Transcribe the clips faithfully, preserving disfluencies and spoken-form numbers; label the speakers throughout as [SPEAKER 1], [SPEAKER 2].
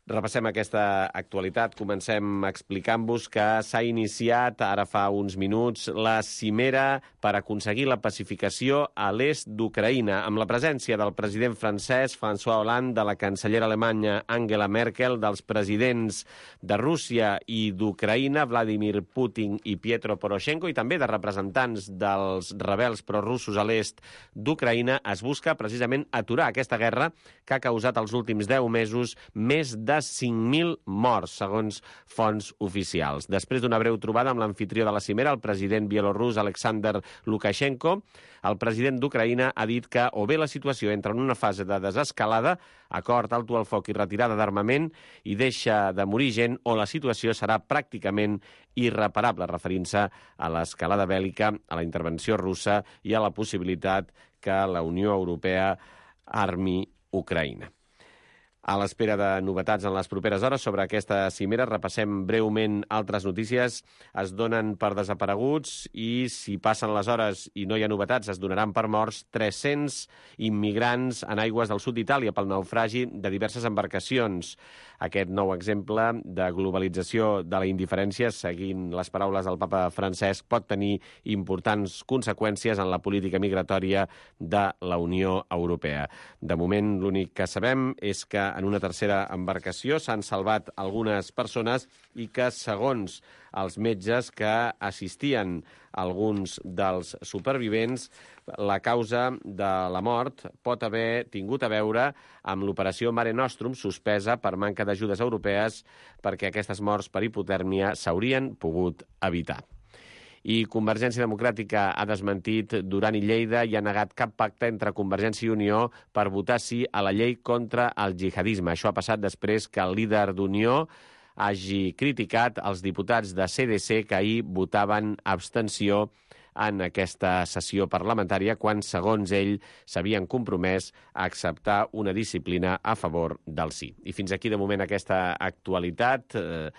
[SPEAKER 1] Repassem aquesta actualitat. Comencem explicant-vos que s'ha iniciat, ara fa uns minuts, la cimera per aconseguir la pacificació a l'est d'Ucraïna, amb la presència del president francès François Hollande, de la cancellera alemanya Angela Merkel, dels presidents de Rússia i d'Ucraïna, Vladimir Putin i Pietro Poroshenko, i també de representants dels rebels prorussos a l'est d'Ucraïna. Es busca precisament aturar aquesta guerra que ha causat els últims deu mesos més de de cinc mil morts, segons fonts oficials. Després d'una breu trobada amb l'amfitrió de la cimera, el president bielorrús Alexander Lukashenko, el president d'Ucraïna ha dit que o bé la situació entra en una fase de desescalada, acord, alto al foc i retirada d'armament, i deixa de morir gent, o la situació serà pràcticament irreparable, referint-se a l'escalada bèl·lica, a la intervenció russa i a la possibilitat que la Unió Europea armi Ucraïna. A l'espera de novetats en les properes hores sobre aquesta cimera, repassem breument altres notícies. Es donen per desapareguts i, si passen les hores i no hi ha novetats, es donaran per morts tres-cents immigrants en aigües del sud d'Itàlia pel naufragi de diverses embarcacions. Aquest nou exemple de globalització de la indiferència, seguint les paraules del papa Francesc, pot tenir importants conseqüències en la política migratòria de la Unió Europea. De moment, l'únic que sabem és que en una tercera embarcació s'han salvat algunes persones i que, segons els metges que assistien alguns dels supervivents, la causa de la mort pot haver tingut a veure amb l'operació Mare Nostrum, suspesa per manca d'ajudes europees, perquè aquestes morts per hipotèrmia s'haurien pogut evitar. I Convergència Democràtica ha desmentit Duran i Lleida i ha negat cap pacte entre Convergència i Unió per votar sí a la llei contra el jihadisme. Això ha passat després que el líder d'Unió hagi criticat els diputats de C D C que ahir votaven abstenció en aquesta sessió parlamentària quan, segons ell, s'havien compromès a acceptar una disciplina a favor del sí. I fins aquí, de moment, aquesta actualitat. Eh,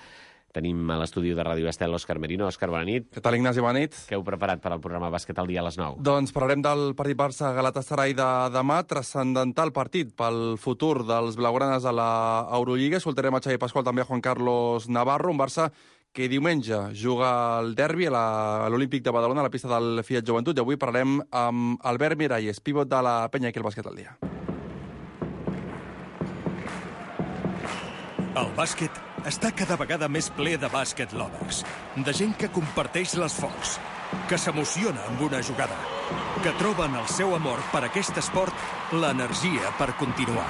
[SPEAKER 1] Tenim a l'estudi de Ràdio Estel l'Òscar Merino. Òscar, bona nit.
[SPEAKER 2] Què tal, Ignasi? Bona nit.
[SPEAKER 1] Què heu preparat per al programa Bàsquet al dia a les nou?
[SPEAKER 2] Doncs parlarem del partit Barça-Galatasaray de demà, transcendental partit pel futur dels blaugranes a l'Eurolliga. Escoltarem a Xavi Pasqual, també a Juan Carlos Navarro, un Barça que diumenge juga el derbi a l'Olímpic de Badalona, a la pista del Fiat Joventut, i avui parlarem amb Albert Miralles, pivot de la penya aquí al Bàsquet al dia.
[SPEAKER 3] El bàsquet està cada vegada més ple de bàsquet lovers, de gent que comparteix l'esforç, que s'emociona amb una jugada, que troben el seu amor per aquest esport l'energia per continuar.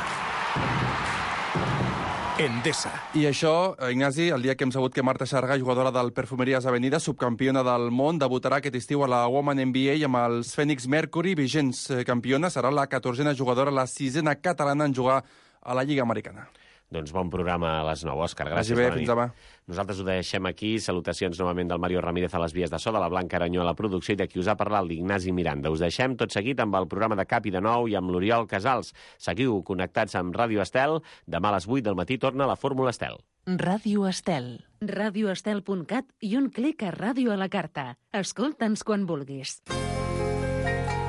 [SPEAKER 3] Endesa.
[SPEAKER 2] I això, Ignasi, el dia que hem sabut que Marta Xarga, jugadora del Perfumeries Avenida, subcampiona del món, debutarà aquest estiu a la Women N B A amb els Phoenix Mercury, vigents campiona, serà la catorzena jugadora, la sisena catalana en jugar a la Lliga Americana.
[SPEAKER 1] Doncs bon programa a les nou, Òscar. Gràcies.
[SPEAKER 2] Bé, fins demà.
[SPEAKER 1] Nosaltres ho deixem aquí. Salutacions novament del Mario Ramírez a les vies de so, de la Blanca Aranyó a la producció i de qui us ha parlat, l'Ignasi Miranda. Us deixem tot seguit amb el programa de Cap i de Nou i amb l'Oriol Casals. Seguiu connectats amb Ràdio Estel. Demà a les vuit del matí torna la Fórmula Estel.
[SPEAKER 4] Ràdio Estel. radioestel punt cat i un clic a Ràdio a la carta. Escolta'ns quan vulguis.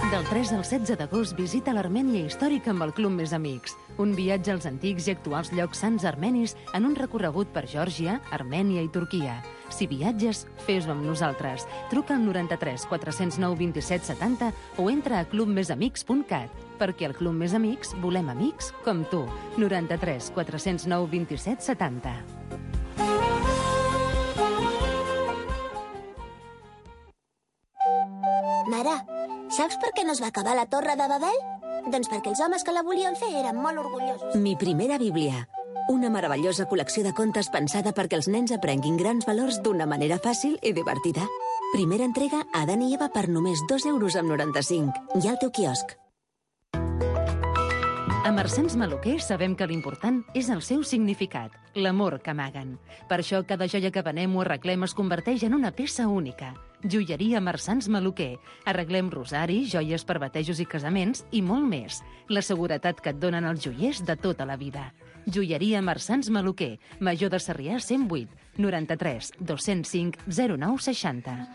[SPEAKER 4] Del tres al setze d'agost visita l'Armènia històrica amb el Club Més Amics. Un viatge als antics i actuals llocs sants armenis en un recorregut per Geòrgia, Armènia i Turquia. Si viatges, fes-ho amb nosaltres. Truca al noranta-tres quatre-cents nou vint-i-set setanta o entra a club més amics punt cat. Perquè al Club Més Amics volem amics com tu. noranta-tres quatre-cents nou vint-i-set setanta.
[SPEAKER 5] Mare, saps per què no es va acabar la Torre de Babel? Doncs perquè els homes que la volien fer eren molt orgullosos.
[SPEAKER 6] Mi primera Bíblia. Una meravellosa col·lecció de contes pensada perquè els nens aprenguin grans valors d'una manera fàcil i divertida. Primera entrega a Adán i Eva per només dos euros amb noranta-cinc. I al teu quiosc.
[SPEAKER 4] A Marsans Maluquer sabem que l'important és el seu significat, l'amor que amaguen. Per això cada joia que venem o arreglem es converteix en una peça única. Joieria Marsans Maluquer. Arreglem rosaris, joies per batejos i casaments i molt més. La seguretat que et donen els joiers de tota la vida. Joieria Marsans Maluquer. Major de Sarrià cent vuit, noranta-tres dos-cents cinc zero nou seixanta.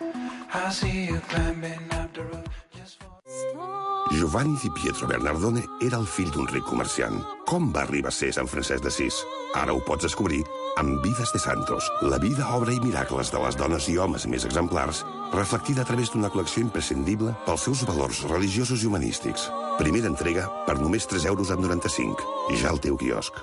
[SPEAKER 7] Giovanni Di Pietro Bernardone era el fill d'un ric comerciant. Com va arribar a ser Sant Francesc d'Assís? Ara ho pots descobrir amb Vides de Santos, la vida, obra i miracles de les dones i homes més exemplars, reflectida a través d'una col·lecció imprescindible pels seus valors religiosos i humanístics. Primera entrega per només tres euros amb noranta-cinc. Ja al teu quiosc.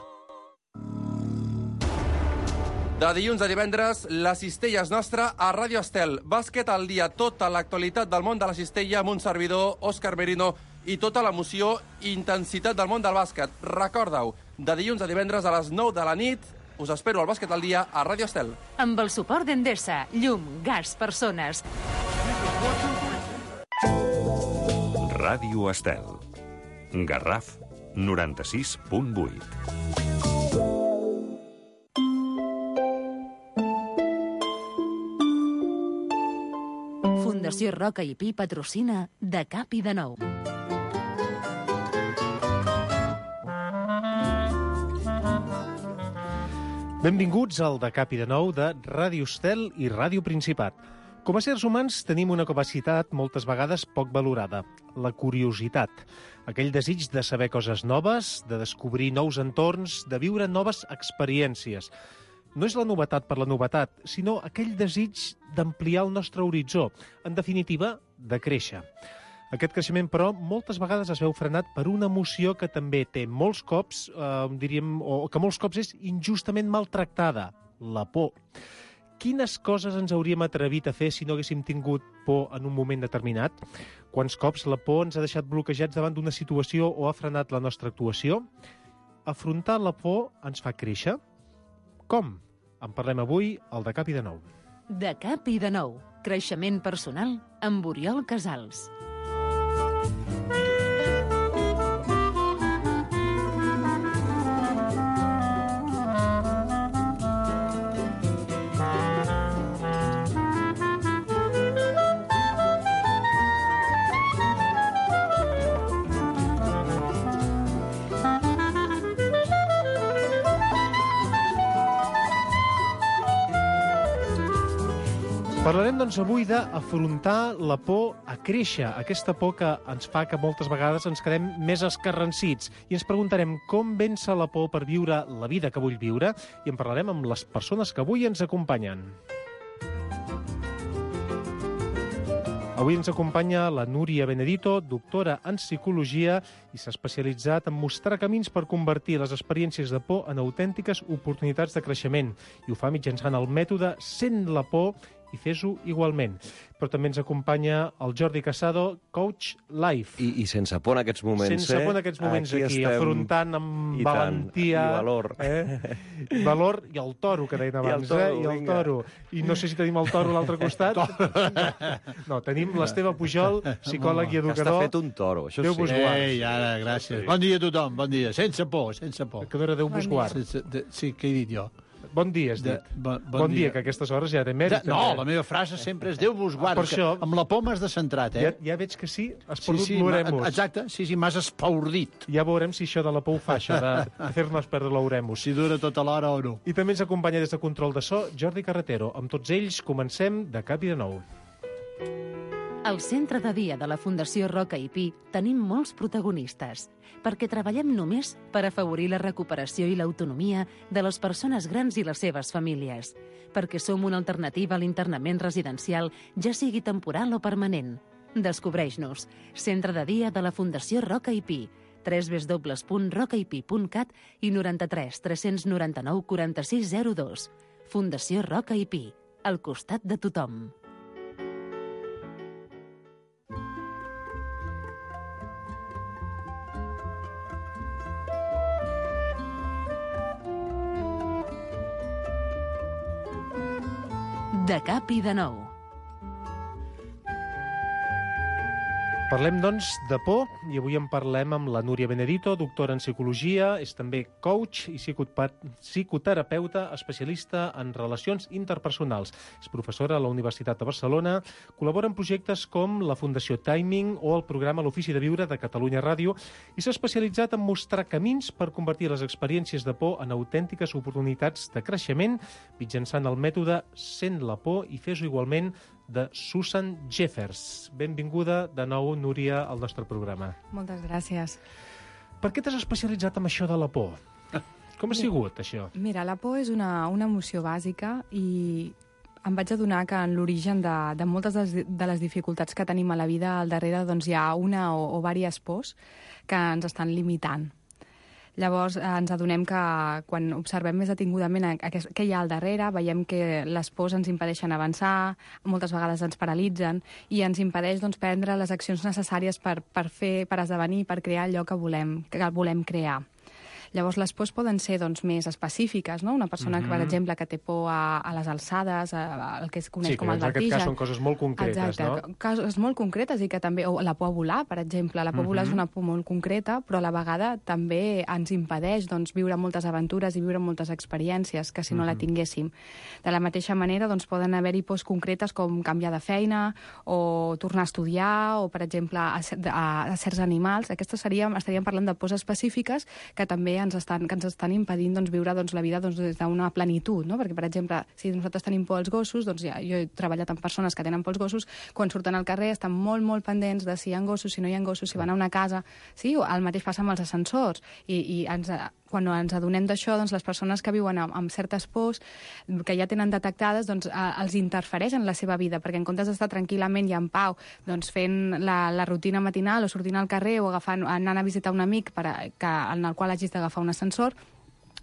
[SPEAKER 2] De dilluns a divendres, la cistella és nostra a Ràdio Estel. Bàsquet al dia, tota l'actualitat del món de la cistella amb un servidor, Òscar Merino, i tota l'emoció i intensitat del món del bàsquet. Recorda-ho, de dilluns a divendres a les nou de la nit, us espero al Bàsquet al dia a Ràdio Estel.
[SPEAKER 4] Amb el suport d'Endesa, llum, gas, persones.
[SPEAKER 8] Ràdio Estel. Garraf noranta-sis punt vuit.
[SPEAKER 4] Fundació Roca i Pi patrocina De Cap i de Nou.
[SPEAKER 9] Benvinguts al De Cap i de Nou de Ràdio Estel i Ràdio Principat. Com a éssers humans tenim una capacitat moltes vegades poc valorada, la curiositat. Aquell desig de saber coses noves, de descobrir nous entorns, de viure noves experiències. No és la novetat per la novetat, sinó aquell desig d'ampliar el nostre horitzó, en definitiva, de créixer. Aquest creixement, però, moltes vegades es veu frenat per una emoció que també té molts cops, eh, diríem, o que molts cops és injustament maltractada, la por. Quines coses ens hauríem atrevit a fer si no haguéssim tingut por en un moment determinat? Quants cops la por ens ha deixat bloquejats davant d'una situació o ha frenat la nostra actuació? Afrontar la por ens fa créixer? Com? En parlem avui al De Cap i de Nou.
[SPEAKER 4] De Cap i de Nou. Creixement personal amb Oriol Casals.
[SPEAKER 9] Parlarem, doncs, avui d'afrontar la por a créixer, aquesta por que ens fa que moltes vegades ens quedem més escarransits. I ens preguntarem com vèncer la por per viure la vida que vull viure, i en parlarem amb les persones que avui ens acompanyen. Avui ens acompanya la Núria Benedito, doctora en psicologia, i s'ha especialitzat en mostrar camins per convertir les experiències de por en autèntiques oportunitats de creixement. I ho fa mitjançant el mètode Sent la por i fes-ho igualment. Però també ens acompanya el Jordi Casado, coach life.
[SPEAKER 1] I, i sense por en aquests moments,
[SPEAKER 9] sense
[SPEAKER 1] eh?
[SPEAKER 9] por en aquests moments aquí, aquí
[SPEAKER 1] estem...
[SPEAKER 9] afrontant amb
[SPEAKER 1] I
[SPEAKER 9] valentia...
[SPEAKER 1] tant, i valor.
[SPEAKER 9] Eh? Valor i el toro, que deien abans, I
[SPEAKER 1] toro,
[SPEAKER 9] eh? I el toro. I no sé si tenim el toro a l'altre costat. No, tenim l'Esteve Pujol, psicòleg i educador.
[SPEAKER 1] Que està fet un toro, això
[SPEAKER 9] Déu
[SPEAKER 1] sí.
[SPEAKER 9] vos guard.
[SPEAKER 10] Ei, ara, gràcies. Bon dia a tothom, bon dia. Sense por, sense por.
[SPEAKER 9] Que no era Déu vos guard.
[SPEAKER 10] Sense, de, sí, què he dit jo?
[SPEAKER 9] Bon dia, has dit.
[SPEAKER 10] De, bon, bon,
[SPEAKER 9] bon dia.
[SPEAKER 10] dia,
[SPEAKER 9] que a aquestes hores ja era mèrit.
[SPEAKER 10] De, no, la meva frase sempre és Déu vos guard.
[SPEAKER 9] Per això...
[SPEAKER 10] Amb la por m'has descentrat, eh?
[SPEAKER 9] Ja, ja veig que sí, has perdut
[SPEAKER 10] sí, sí,
[SPEAKER 9] l'oremus.
[SPEAKER 10] Exacte, sí, sí, m'has espaordit.
[SPEAKER 9] Ja veurem si això de la por ho fa, això de fer-nos perdre l'oremus.
[SPEAKER 10] Si dura tota l'hora o no.
[SPEAKER 9] I també ens acompanya des de Control de So, Jordi Carretero. Amb tots ells comencem De Cap i de Nou.
[SPEAKER 4] Al centre de dia de la Fundació Roca i Pi tenim molts protagonistes, perquè treballem només per afavorir la recuperació i l'autonomia de les persones grans i les seves famílies, perquè som una alternativa a l'internament residencial, ja sigui temporal o permanent. Descobreix-nos. Centre de dia de la Fundació Roca i Pi. w w w punt roca i pi punt cat i noranta-tres tres noranta-nou quaranta-sis zero dos. Fundació Roca i Pi. Al costat de tothom. De Cap i de Nou.
[SPEAKER 9] Parlem, doncs, de por, i avui en parlem amb la Núria Benedito, doctora en psicologia, és també coach i psicoterapeuta especialista en relacions interpersonals. És professora a la Universitat de Barcelona, col·labora en projectes com la Fundació Timing o el programa L'Ofici de Viure de Catalunya Ràdio i s'ha especialitzat en mostrar camins per convertir les experiències de por en autèntiques oportunitats de creixement mitjançant el mètode Sent la por i fes-ho igualment de Susan Jeffers. Benvinguda de nou, Núria, al nostre programa.
[SPEAKER 11] Moltes gràcies.
[SPEAKER 9] Per què t'has especialitzat en això de la por? Com ha sigut, això?
[SPEAKER 11] Mira, la por és una, una emoció bàsica i em vaig adonar que en l'origen de, de moltes de les, de les dificultats que tenim a la vida al darrere doncs, hi ha una o, o diverses pors que ens estan limitant. Llavors ens adonem que quan observem més detingudament què hi ha al darrere, veiem que les pors ens impedeixen avançar, moltes vegades ens paralitzen i ens impedeix doncs, prendre les accions necessàries per, per fer, per esdevenir, per crear allò que volem, que volem crear. Llavors, les pors poden ser doncs, més específiques, no? Una persona, mm-hmm. per exemple, que té por a, a les alçades, a, a, el que es coneix
[SPEAKER 9] sí,
[SPEAKER 11] com el vertigen.
[SPEAKER 9] Sí, que en aquest cas són coses molt concretes,
[SPEAKER 11] exacte,
[SPEAKER 9] no?
[SPEAKER 11] Coses molt concretes i que també... O la por a volar, per exemple. La por a volar mm-hmm. és una por molt concreta, però a la vegada també ens impedeix doncs, viure moltes aventures i viure moltes experiències que si no mm-hmm. la tinguéssim. De la mateixa manera, doncs, poden haver-hi pors concretes com canviar de feina o tornar a estudiar o, per exemple, a, a, a certs animals. Aquestes seríem, estaríem parlant de pors específiques que també ens estan, que ens estan impedint doncs, viure doncs, la vida doncs, des d'una plenitud, no? Perquè, per exemple, si nosaltres tenim por als gossos, doncs ja, jo he treballat amb persones que tenen por als gossos, quan surten al carrer estan molt, molt pendents de si hi ha gossos, si no hi ha gossos, si van a una casa... Sí, el mateix passa amb els ascensors. I, i ens, quan ens adonem d'això, doncs, les persones que viuen amb, amb certes pors, que ja tenen detectades, doncs, a, els interfereix en la seva vida, perquè en comptes d'estar tranquil·lament i en pau, doncs, fent la, la rutina matinal o sortint al carrer o agafant, anant a visitar un amic per a, que, en el qual hagis d'agafar un ascensor,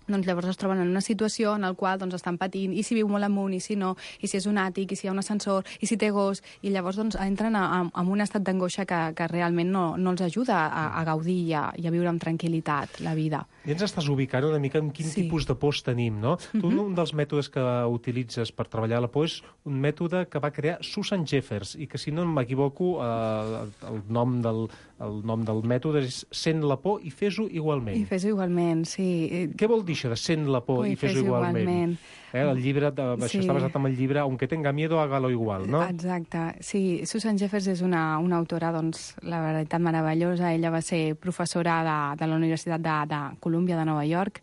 [SPEAKER 11] doncs llavors es troben en una situació en la qual doncs, estan patint, i si viu molt amunt, i si no, i si és un àtic, i si hi ha un ascensor, i si té gos, i llavors doncs, entren a, a, a un estat d'angoixa que, que realment no, no els ajuda a, a gaudir i a, i a viure amb tranquil·litat la vida.
[SPEAKER 9] I ens estàs ubicant una mica en quin sí. tipus de pors tenim, no? Mm-hmm. Tu, un dels mètodes que utilitzes per treballar la por és un mètode que va crear Susan Jeffers, i que, si no m'equivoco, eh, el, nom del, el nom del mètode és Sent la por i fes-ho igualment.
[SPEAKER 11] I fes-ho igualment, sí.
[SPEAKER 9] Què vol dir això de Sent la por
[SPEAKER 11] Ui,
[SPEAKER 9] i fes-ho igualment? igualment. Eh, el llibre, de,
[SPEAKER 11] sí.
[SPEAKER 9] Això està basat en el llibre Aunque tenga miedo, hágalo igual, no?
[SPEAKER 11] Exacte. Sí, Susan Jeffers és una, una autora, doncs, la veritat, meravellosa. Ella va ser professora de, de la Universitat de, de Colúmbia de Nova York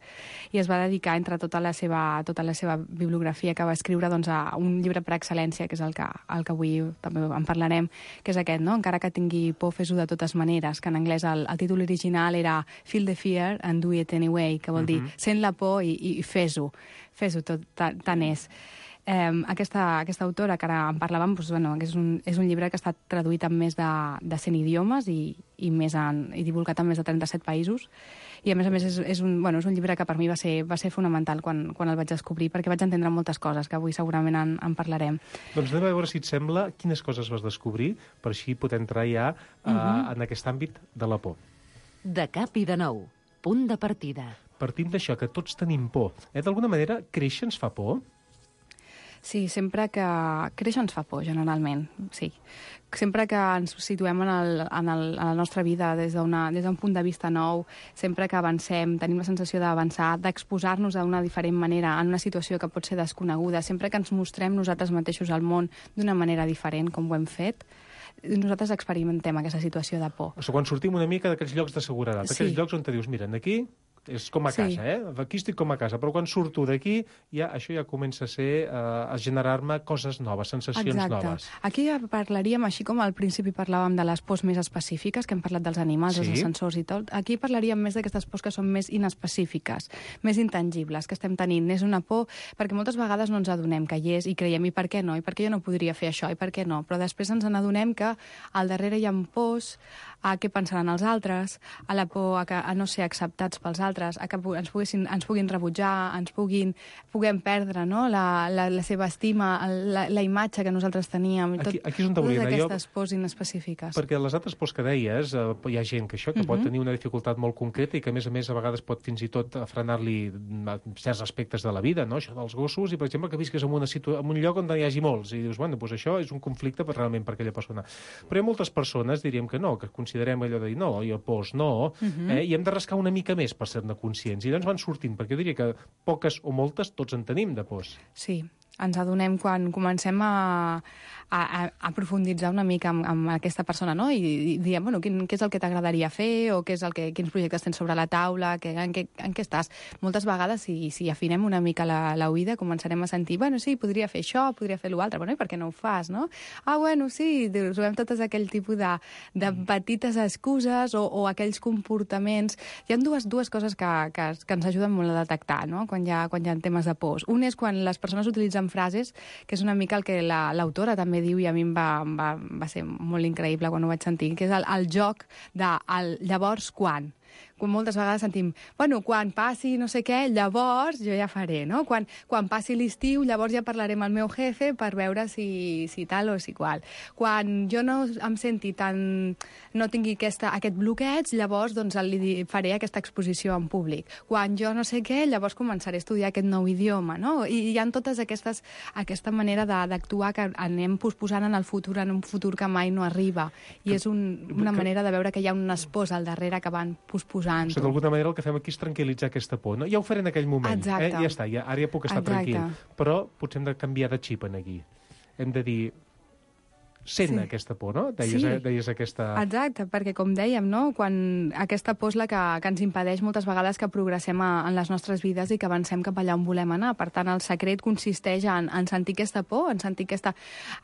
[SPEAKER 11] i es va dedicar, entre tota la seva, tota la seva bibliografia que va escriure, doncs, a un llibre per excel·lència, que és el que, el que avui també en parlarem, que és aquest, no? Encara que tingui por, fes-ho de totes maneres, que en anglès el, el títol original era Feel the fear and do it anyway, que vol dir uh-huh. sent la por i, i fes-ho. Fes-ho tot, tant és. Eh, aquesta, aquesta autora, que ara en parlàvem, doncs, bueno, és, un, és un llibre que ha estat traduït en més de, de cent idiomes i, i, més en, i divulgat en més de trenta-set països. I, a més a més, és, és, un, bueno, és un llibre que per mi va ser, va ser fonamental quan, quan el vaig descobrir, perquè vaig entendre moltes coses, que avui segurament en, en parlarem.
[SPEAKER 9] Doncs anem a veure, si et sembla, quines coses vas descobrir, per així poder entrar ja uh, uh-huh. en aquest àmbit de la por.
[SPEAKER 4] De cap i de nou. Punt de partida.
[SPEAKER 9] Partint d'això, que tots tenim por. Eh? D'alguna manera, créixer ens fa por?
[SPEAKER 11] Sí, sempre que... Créixer ens fa por, generalment, sí. Sempre que ens situem en, el, en, el, en la nostra vida des d'un punt de vista nou, sempre que avancem, tenim la sensació d'avançar, d'exposar-nos d'una diferent manera en una situació que pot ser desconeguda, sempre que ens mostrem nosaltres mateixos al món d'una manera diferent, com ho hem fet, nosaltres experimentem aquesta situació de por.
[SPEAKER 9] O sigui, quan sortim una mica d'aquells llocs de seguretat, sí. Aquells llocs on te dius, mira, aquí és com a
[SPEAKER 11] sí.
[SPEAKER 9] casa, eh? Aquí estic com a casa, però quan surto d'aquí, ja, això ja comença a ser, eh, a generar-me coses noves, sensacions
[SPEAKER 11] Exacte.
[SPEAKER 9] noves.
[SPEAKER 11] Aquí ja parlaríem, així com al principi parlàvem de les pors més específiques, que hem parlat dels animals, sí. els ascensors i tot, aquí parlaríem més d'aquestes pors que són més inespecífiques, més intangibles, que estem tenint. És una por, perquè moltes vegades no ens adonem que hi és i creiem, i per què no? I per què jo no podria fer això? I per què no? Però després ens n'adonem que al darrere hi ha pors a què pensaran els altres, a la por a, que, a no ser acceptats pels altres, a que ens, poguessin, ens puguin rebutjar, ens puguin, puguem perdre, no? la, la, la seva estima, la, la imatge que nosaltres teníem. Tot,
[SPEAKER 9] aquí, aquí és on te volia
[SPEAKER 11] totes
[SPEAKER 9] anar.
[SPEAKER 11] aquestes pors inespecífiques.
[SPEAKER 9] Perquè les altres pors que deies, eh, hi ha gent que això, que uh-huh. pot tenir una dificultat molt concreta i que, a més a més, a vegades pot fins i tot frenar-li certs aspectes de la vida, no? Això dels gossos, i, per exemple, que visques en, una situ... en un lloc on hi hagi molts, i dius, bueno, doncs això és un conflicte realment per aquella persona. Però hi ha moltes persones, diríem que no, que considerem allò de dir, no, jo pors no, uh-huh. eh, i hem de rascar una mica més per ser-ne conscients. I llavors van sortint, perquè jo diria que poques o moltes tots en tenim de pors.
[SPEAKER 11] Sí. ens adonem quan comencem a, a, a profunditzar una mica amb, amb aquesta persona, no? I, i diem, bueno, quin, què és el que t'agradaria fer, o què és el que, quins projectes tens sobre la taula, que, en, què, en què estàs. Moltes vegades, si, si afinem una mica la, la oïda, començarem a sentir, bueno, sí, podria fer això, podria fer l'altre, bueno, i per què no ho fas, no? Ah, bueno, sí, trobem totes aquell tipus de, de petites excuses o, o aquells comportaments. Hi ha dues, dues coses que, que, que ens ajuden molt a detectar, no?, quan hi ha, quan hi ha temes de pors. Un és quan les persones utilitzen frases, que és una mica el que l'autora la, també diu, i a mi em va, va, va ser molt increïble quan ho vaig sentir, que és el, el joc de el, llavors quan. Quan moltes vegades sentim, bueno, quan passi no sé què, llavors jo ja faré, no? Quan, quan passi l'estiu, llavors ja parlaré amb el meu jefe per veure si, si tal o si qual. Quan jo no em senti tan... no tingui aquesta, aquest bloqueig, llavors doncs, li faré aquesta exposició en públic. Quan jo no sé què, llavors començaré a estudiar aquest nou idioma, no? I hi ha totes aquestes, aquesta manera d'actuar que anem posposant en el futur, en un futur que mai no arriba. I és un, una manera de veure que hi ha un espòs al darrere que van posposant.
[SPEAKER 9] O sigui, d'alguna manera el que fem aquí és tranquil·litzar aquesta por. No? Ja ho faré en aquell moment.
[SPEAKER 11] Exacte.
[SPEAKER 9] Eh? Ja està, ja, ara ja puc estar
[SPEAKER 11] Exacte.
[SPEAKER 9] tranquil. Però potser hem de canviar de xip en aquí. Hem de dir... Sent sí. aquesta por, no? Deies,
[SPEAKER 11] sí.
[SPEAKER 9] deies aquesta...
[SPEAKER 11] Exacte, perquè com dèiem, no? Quan aquesta por és la que, que ens impedeix moltes vegades que progressem a, en les nostres vides i que avancem cap allà on volem anar. Per tant, el secret consisteix en, en sentir aquesta por, en sentir aquesta,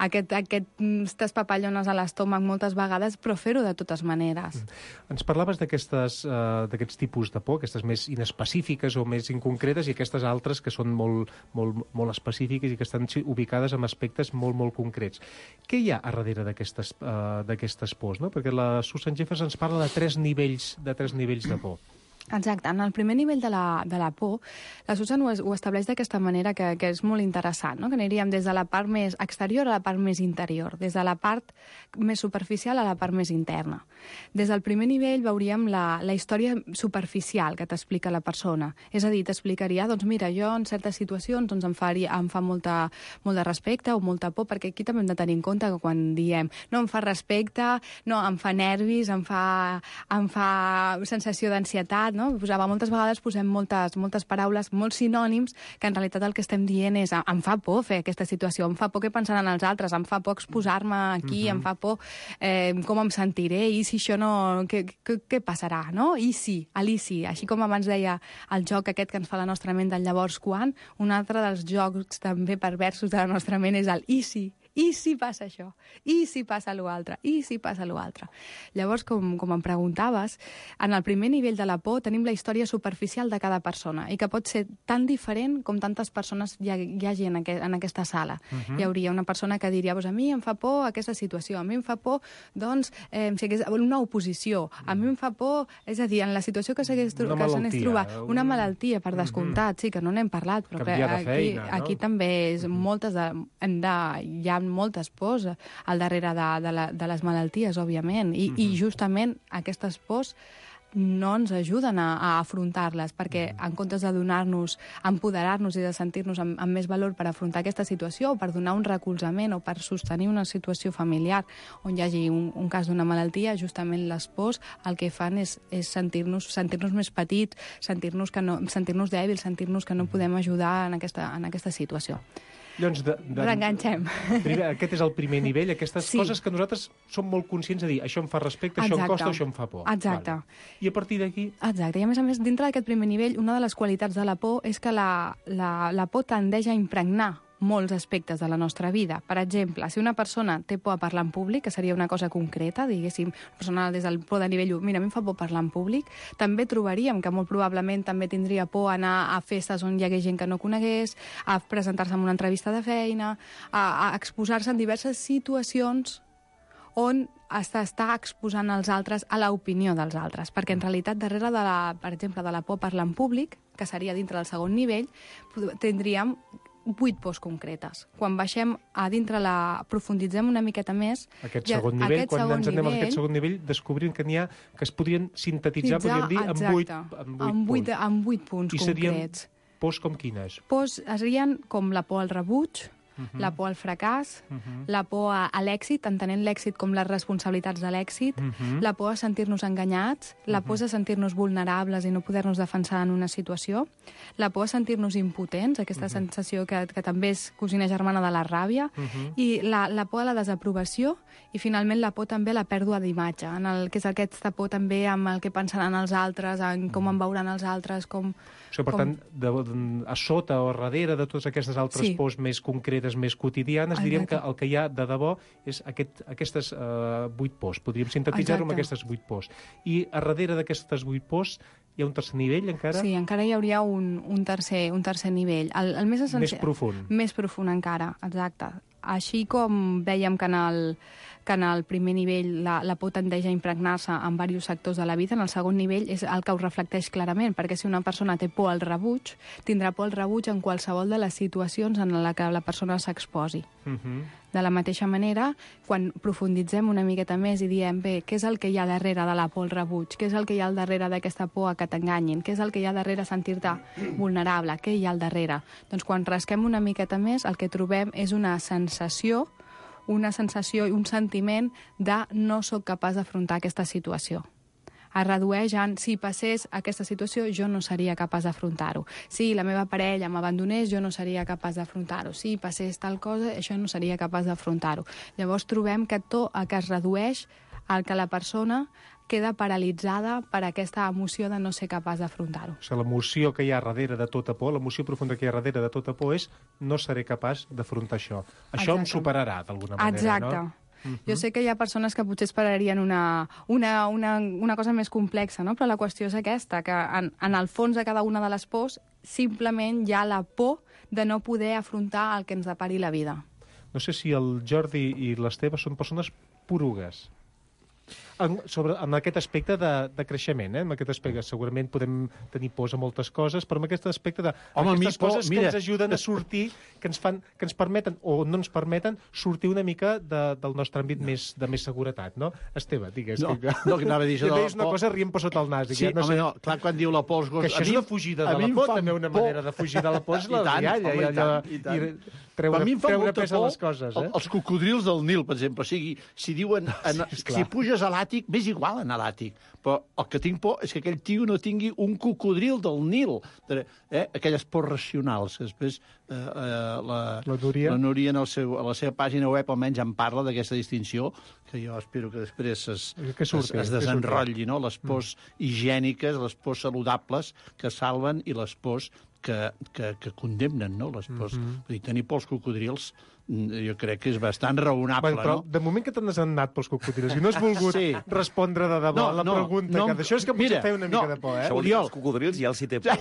[SPEAKER 11] aquest, aquestes papallones a l'estómac moltes vegades, però fer-ho de totes maneres.
[SPEAKER 9] Mm. Ens parlaves d'aquests uh, tipus de por, aquestes més inespecífiques o més inconcretes, i aquestes altres que són molt, molt, molt específiques i que estan ubicades en aspectes molt, molt concrets. Què hi ha a darrere d'aquestes uh, d'aquestes pors, no? Perquè la Susan Jeffers ens parla de tres nivells de tres nivells de por.
[SPEAKER 11] Exacte. En el primer nivell de la, de la por, la Susan ho, ho estableix d'aquesta manera que, que és molt interessant, no? Que aniríem des de la part més exterior a la part més interior, des de la part més superficial a la part més interna. Des del primer nivell veuríem la, la història superficial que t'explica la persona. És a dir, t'explicaria, doncs mira, jo en certes situacions doncs, em, faria, em fa molta, molt de respecte o molta por, perquè aquí també hem de tenir en compte que quan diem no em fa respecte, no, em fa nervis, em fa, em fa sensació d'ansietat, no? Posava, moltes vegades posem moltes, moltes paraules, molts sinònims, que en realitat el que estem dient és em fa por fer aquesta situació, em fa por què pensaran els altres, em fa por exposar-me aquí, uh-huh. em fa por eh, com em sentiré, i si això no... Què, què, què passarà, no? I si, l'I si, així com abans deia el joc aquest que ens fa la nostra ment del llavors quan, un altre dels jocs també perversos de la nostra ment és el I si. I si passa això? I si passa l'altre? I si passa l'altre? Llavors, com, com em preguntaves, en el primer nivell de la por tenim la història superficial de cada persona i que pot ser tan diferent com tantes persones hi, ha, hi hagi en, aqu en aquesta sala. Uh-huh. Hi hauria una persona que diria, pues, a mi em fa por aquesta situació, a mi em fa por, doncs, eh, si hagués una oposició, a mi em fa por, és a dir, en la situació que s'hagués trobat, una malaltia, per descomptat, uh-huh. sí, que no n'hem parlat, però que aquí, feina, no? Aquí també és uh-huh. moltes de, hem de, hi ha moltes pors al darrere de, de, la, de les malalties, òbviament, I, mm-hmm. i justament aquestes pors no ens ajuden a, a afrontar-les, perquè en comptes de donar-nos, empoderar-nos i de sentir-nos amb, amb més valor per afrontar aquesta situació, o per donar un recolzament, o per sostenir una situació familiar on hi hagi un, un cas d'una malaltia, justament les pors el que fan és, és sentir-nos sentir-nos més petits, sentir-nos que no, sentir-nos dèbils, sentir-nos que no podem ajudar en aquesta, en aquesta situació.
[SPEAKER 9] Llavors, de, de,
[SPEAKER 11] Reenganxem.
[SPEAKER 9] Primer, aquest és el primer nivell, aquestes sí. coses que nosaltres som molt conscients de dir això em fa respecte,
[SPEAKER 11] Exacte.
[SPEAKER 9] Això em costa, això em fa por.
[SPEAKER 11] Exacte.
[SPEAKER 9] Vale. I a partir d'aquí...
[SPEAKER 11] Exacte. I a més a més, dintre d'aquest primer nivell, una de les qualitats de la por és que la, la, la por tendeix a impregnar molts aspectes de la nostra vida. Per exemple, si una persona té por a parlar en públic, que seria una cosa concreta, diguéssim, una persona des del por de nivell u, mira, a mi em fa por parlar en públic, també trobaríem que molt probablement també tindria por a anar a festes on hi hagués gent que no conegués, a presentar-se en una entrevista de feina, a, a exposar-se en diverses situacions on està, està exposant els altres a l'opinió dels altres, perquè en realitat darrere de la, per exemple, de la por a parlar en públic, que seria dintre del segon nivell, tindríem vuit pors concretes. Quan baixem a dintre, la profunditzem una miqueta més...
[SPEAKER 9] Aquest segon nivell,
[SPEAKER 11] aquest
[SPEAKER 9] quan
[SPEAKER 11] segon
[SPEAKER 9] ens anem
[SPEAKER 11] nivell,
[SPEAKER 9] a aquest segon nivell, descobrim que n'hi ha que es podrien sintetitzar, podríem dir, en vuit, en vuit,
[SPEAKER 11] en vuit,
[SPEAKER 9] punts.
[SPEAKER 11] En vuit punts
[SPEAKER 9] I serien
[SPEAKER 11] concrets.
[SPEAKER 9] pors com quines?
[SPEAKER 11] Pors serien com la por al rebuig, uh-huh. la por al fracàs,
[SPEAKER 9] Uh-huh.
[SPEAKER 11] la por a, a l'èxit, entenent l'èxit com les responsabilitats de l'èxit,
[SPEAKER 9] Uh-huh.
[SPEAKER 11] la por a sentir-nos enganyats, la por a sentir-nos vulnerables i no poder-nos defensar en una situació, la por a sentir-nos impotents, aquesta uh-huh. sensació que, que també és cosina germana de la ràbia,
[SPEAKER 9] Uh-huh.
[SPEAKER 11] i la, la por a la desaprovació, i finalment la por també a la pèrdua d'imatge, en el que és aquesta por també amb el que pensaran els altres, en com em veuran els altres, com...
[SPEAKER 9] O sigui, per
[SPEAKER 11] com...
[SPEAKER 9] tant, de, de, a sota o darrere de totes aquestes altres
[SPEAKER 11] Sí.
[SPEAKER 9] pors més concretes, més quotidianes, diríem que
[SPEAKER 11] Exacte.
[SPEAKER 9] el que hi ha de debò és aquest, aquestes uh, vuit pors. Podríem sintetitzar-ho amb
[SPEAKER 11] Exacte.
[SPEAKER 9] aquestes vuit pors. I a darrere d'aquestes vuit pors hi ha un tercer nivell, encara?
[SPEAKER 11] Sí, encara hi hauria un, un, tercer, un tercer nivell. El, el més essencial...
[SPEAKER 9] Més profund.
[SPEAKER 11] Més profund encara, exacte. Així com dèiem que en el, que en el primer nivell la, la por tendeix a impregnar-se en diversos sectors de la vida, en el segon nivell és el que ho reflecteix clarament, perquè si una persona té por al rebuig, tindrà por al rebuig en qualsevol de les situacions en la que la persona s'exposi.
[SPEAKER 9] Uh-huh.
[SPEAKER 11] De la mateixa manera, quan profunditzem una miqueta més i diem, bé, què és el que hi ha darrere de la por al rebuig? Què és el que hi ha al darrere d'aquesta por a que t'enganyin? Què és el que hi ha darrere a sentir-te vulnerable? Què hi ha al darrere? Doncs quan rasquem una miqueta més, el que trobem és una sensació, una sensació i un sentiment de no sóc capaç d'afrontar aquesta situació. Es redueix en, si passés aquesta situació, jo no seria capaç d'afrontar-ho. Si la meva parella m'abandonés, jo no seria capaç d'afrontar-ho. Si passés tal cosa, això no seria capaç d'afrontar-ho. Llavors trobem que tot el que es redueix al que la persona queda paralitzada per aquesta emoció de no ser capaç d'afrontar-ho.
[SPEAKER 9] O sigui, l'emoció que hi ha darrere de tota por, l'emoció profunda que hi ha darrere de tota por és no seré capaç d'afrontar això. Això
[SPEAKER 11] Exacte.
[SPEAKER 9] em superarà, d'alguna manera,
[SPEAKER 11] Exacte.
[SPEAKER 9] no?
[SPEAKER 11] Uh-huh. Jo sé que hi ha persones que potser esperarien una, una, una, una cosa més complexa, no? Però la qüestió és aquesta, que en, en el fons de cada una de les pors simplement hi ha la por de no poder afrontar el que ens depari la vida.
[SPEAKER 9] No sé si el Jordi i l'Esteve són persones porugues. En, sobre, en aquest aspecte de, de creixement, eh? En aquest aspecte segurament podem tenir pors a moltes coses, però en aquest aspecte de
[SPEAKER 10] Home,
[SPEAKER 9] aquestes
[SPEAKER 10] por,
[SPEAKER 9] coses
[SPEAKER 10] mira.
[SPEAKER 9] que ens ajuden a sortir, que ens, fan, que ens permeten o no ens permeten sortir una mica de, del nostre àmbit més, de més seguretat, no? Esteve, digues.
[SPEAKER 10] No,
[SPEAKER 9] que,
[SPEAKER 10] no, que anava a dir això
[SPEAKER 9] que
[SPEAKER 10] de la
[SPEAKER 9] deies una
[SPEAKER 10] por.
[SPEAKER 9] cosa rient per sota el nas.
[SPEAKER 10] Sí,
[SPEAKER 9] ja, no
[SPEAKER 10] home,
[SPEAKER 9] sé,
[SPEAKER 10] no, clar, quan diu la por els gossos...
[SPEAKER 9] que això és
[SPEAKER 10] a mi-
[SPEAKER 9] una fugida
[SPEAKER 10] a
[SPEAKER 9] de
[SPEAKER 10] mi
[SPEAKER 9] la
[SPEAKER 10] em
[SPEAKER 9] por,
[SPEAKER 10] fan
[SPEAKER 9] també una
[SPEAKER 10] por.
[SPEAKER 9] manera de fugir de la por és
[SPEAKER 10] I
[SPEAKER 9] la
[SPEAKER 10] tant,
[SPEAKER 9] rialla,
[SPEAKER 10] home, i
[SPEAKER 9] allò,
[SPEAKER 10] tant, i tant.
[SPEAKER 9] i treure,
[SPEAKER 10] Per mi em fa
[SPEAKER 9] treure
[SPEAKER 10] molta
[SPEAKER 9] pes a
[SPEAKER 10] por
[SPEAKER 9] les coses, eh?
[SPEAKER 10] el- els cocodrils del Nil, per exemple. O sigui, si diuen, en,
[SPEAKER 9] Sí,
[SPEAKER 10] si
[SPEAKER 9] esclar.
[SPEAKER 10] puges a l'àtic, m'és igual anar a l'àtic. Però el que tinc por és que aquell tio no tingui un cocodril del Nil. Eh? Aquelles pors racionals. Que després eh, eh, la,
[SPEAKER 9] La Núria.
[SPEAKER 10] la Núria en el seu, a la seva pàgina web almenys en parla d'aquesta distinció, que jo espero que després es,
[SPEAKER 9] Que surti,
[SPEAKER 10] es, es
[SPEAKER 9] que
[SPEAKER 10] desenrotlli, no? Les pors mm. higièniques, les pors saludables que salven i les pors que, que, que condemnen, no? Les pors. Mm-hmm. Vull dir, tenir por als cocodrils jo crec que és bastant raonable,
[SPEAKER 9] Bueno, però
[SPEAKER 10] no?
[SPEAKER 9] de moment que te n'has anat pels cocodrils i no has volgut
[SPEAKER 10] Sí.
[SPEAKER 9] respondre de debò
[SPEAKER 10] No,
[SPEAKER 9] a la
[SPEAKER 10] no,
[SPEAKER 9] pregunta,
[SPEAKER 10] no,
[SPEAKER 9] que d'això és que potser
[SPEAKER 10] mira,
[SPEAKER 9] feia una mica
[SPEAKER 10] no,
[SPEAKER 9] de por, eh?
[SPEAKER 12] Això vol dir que els cocodrils ja els hi té por.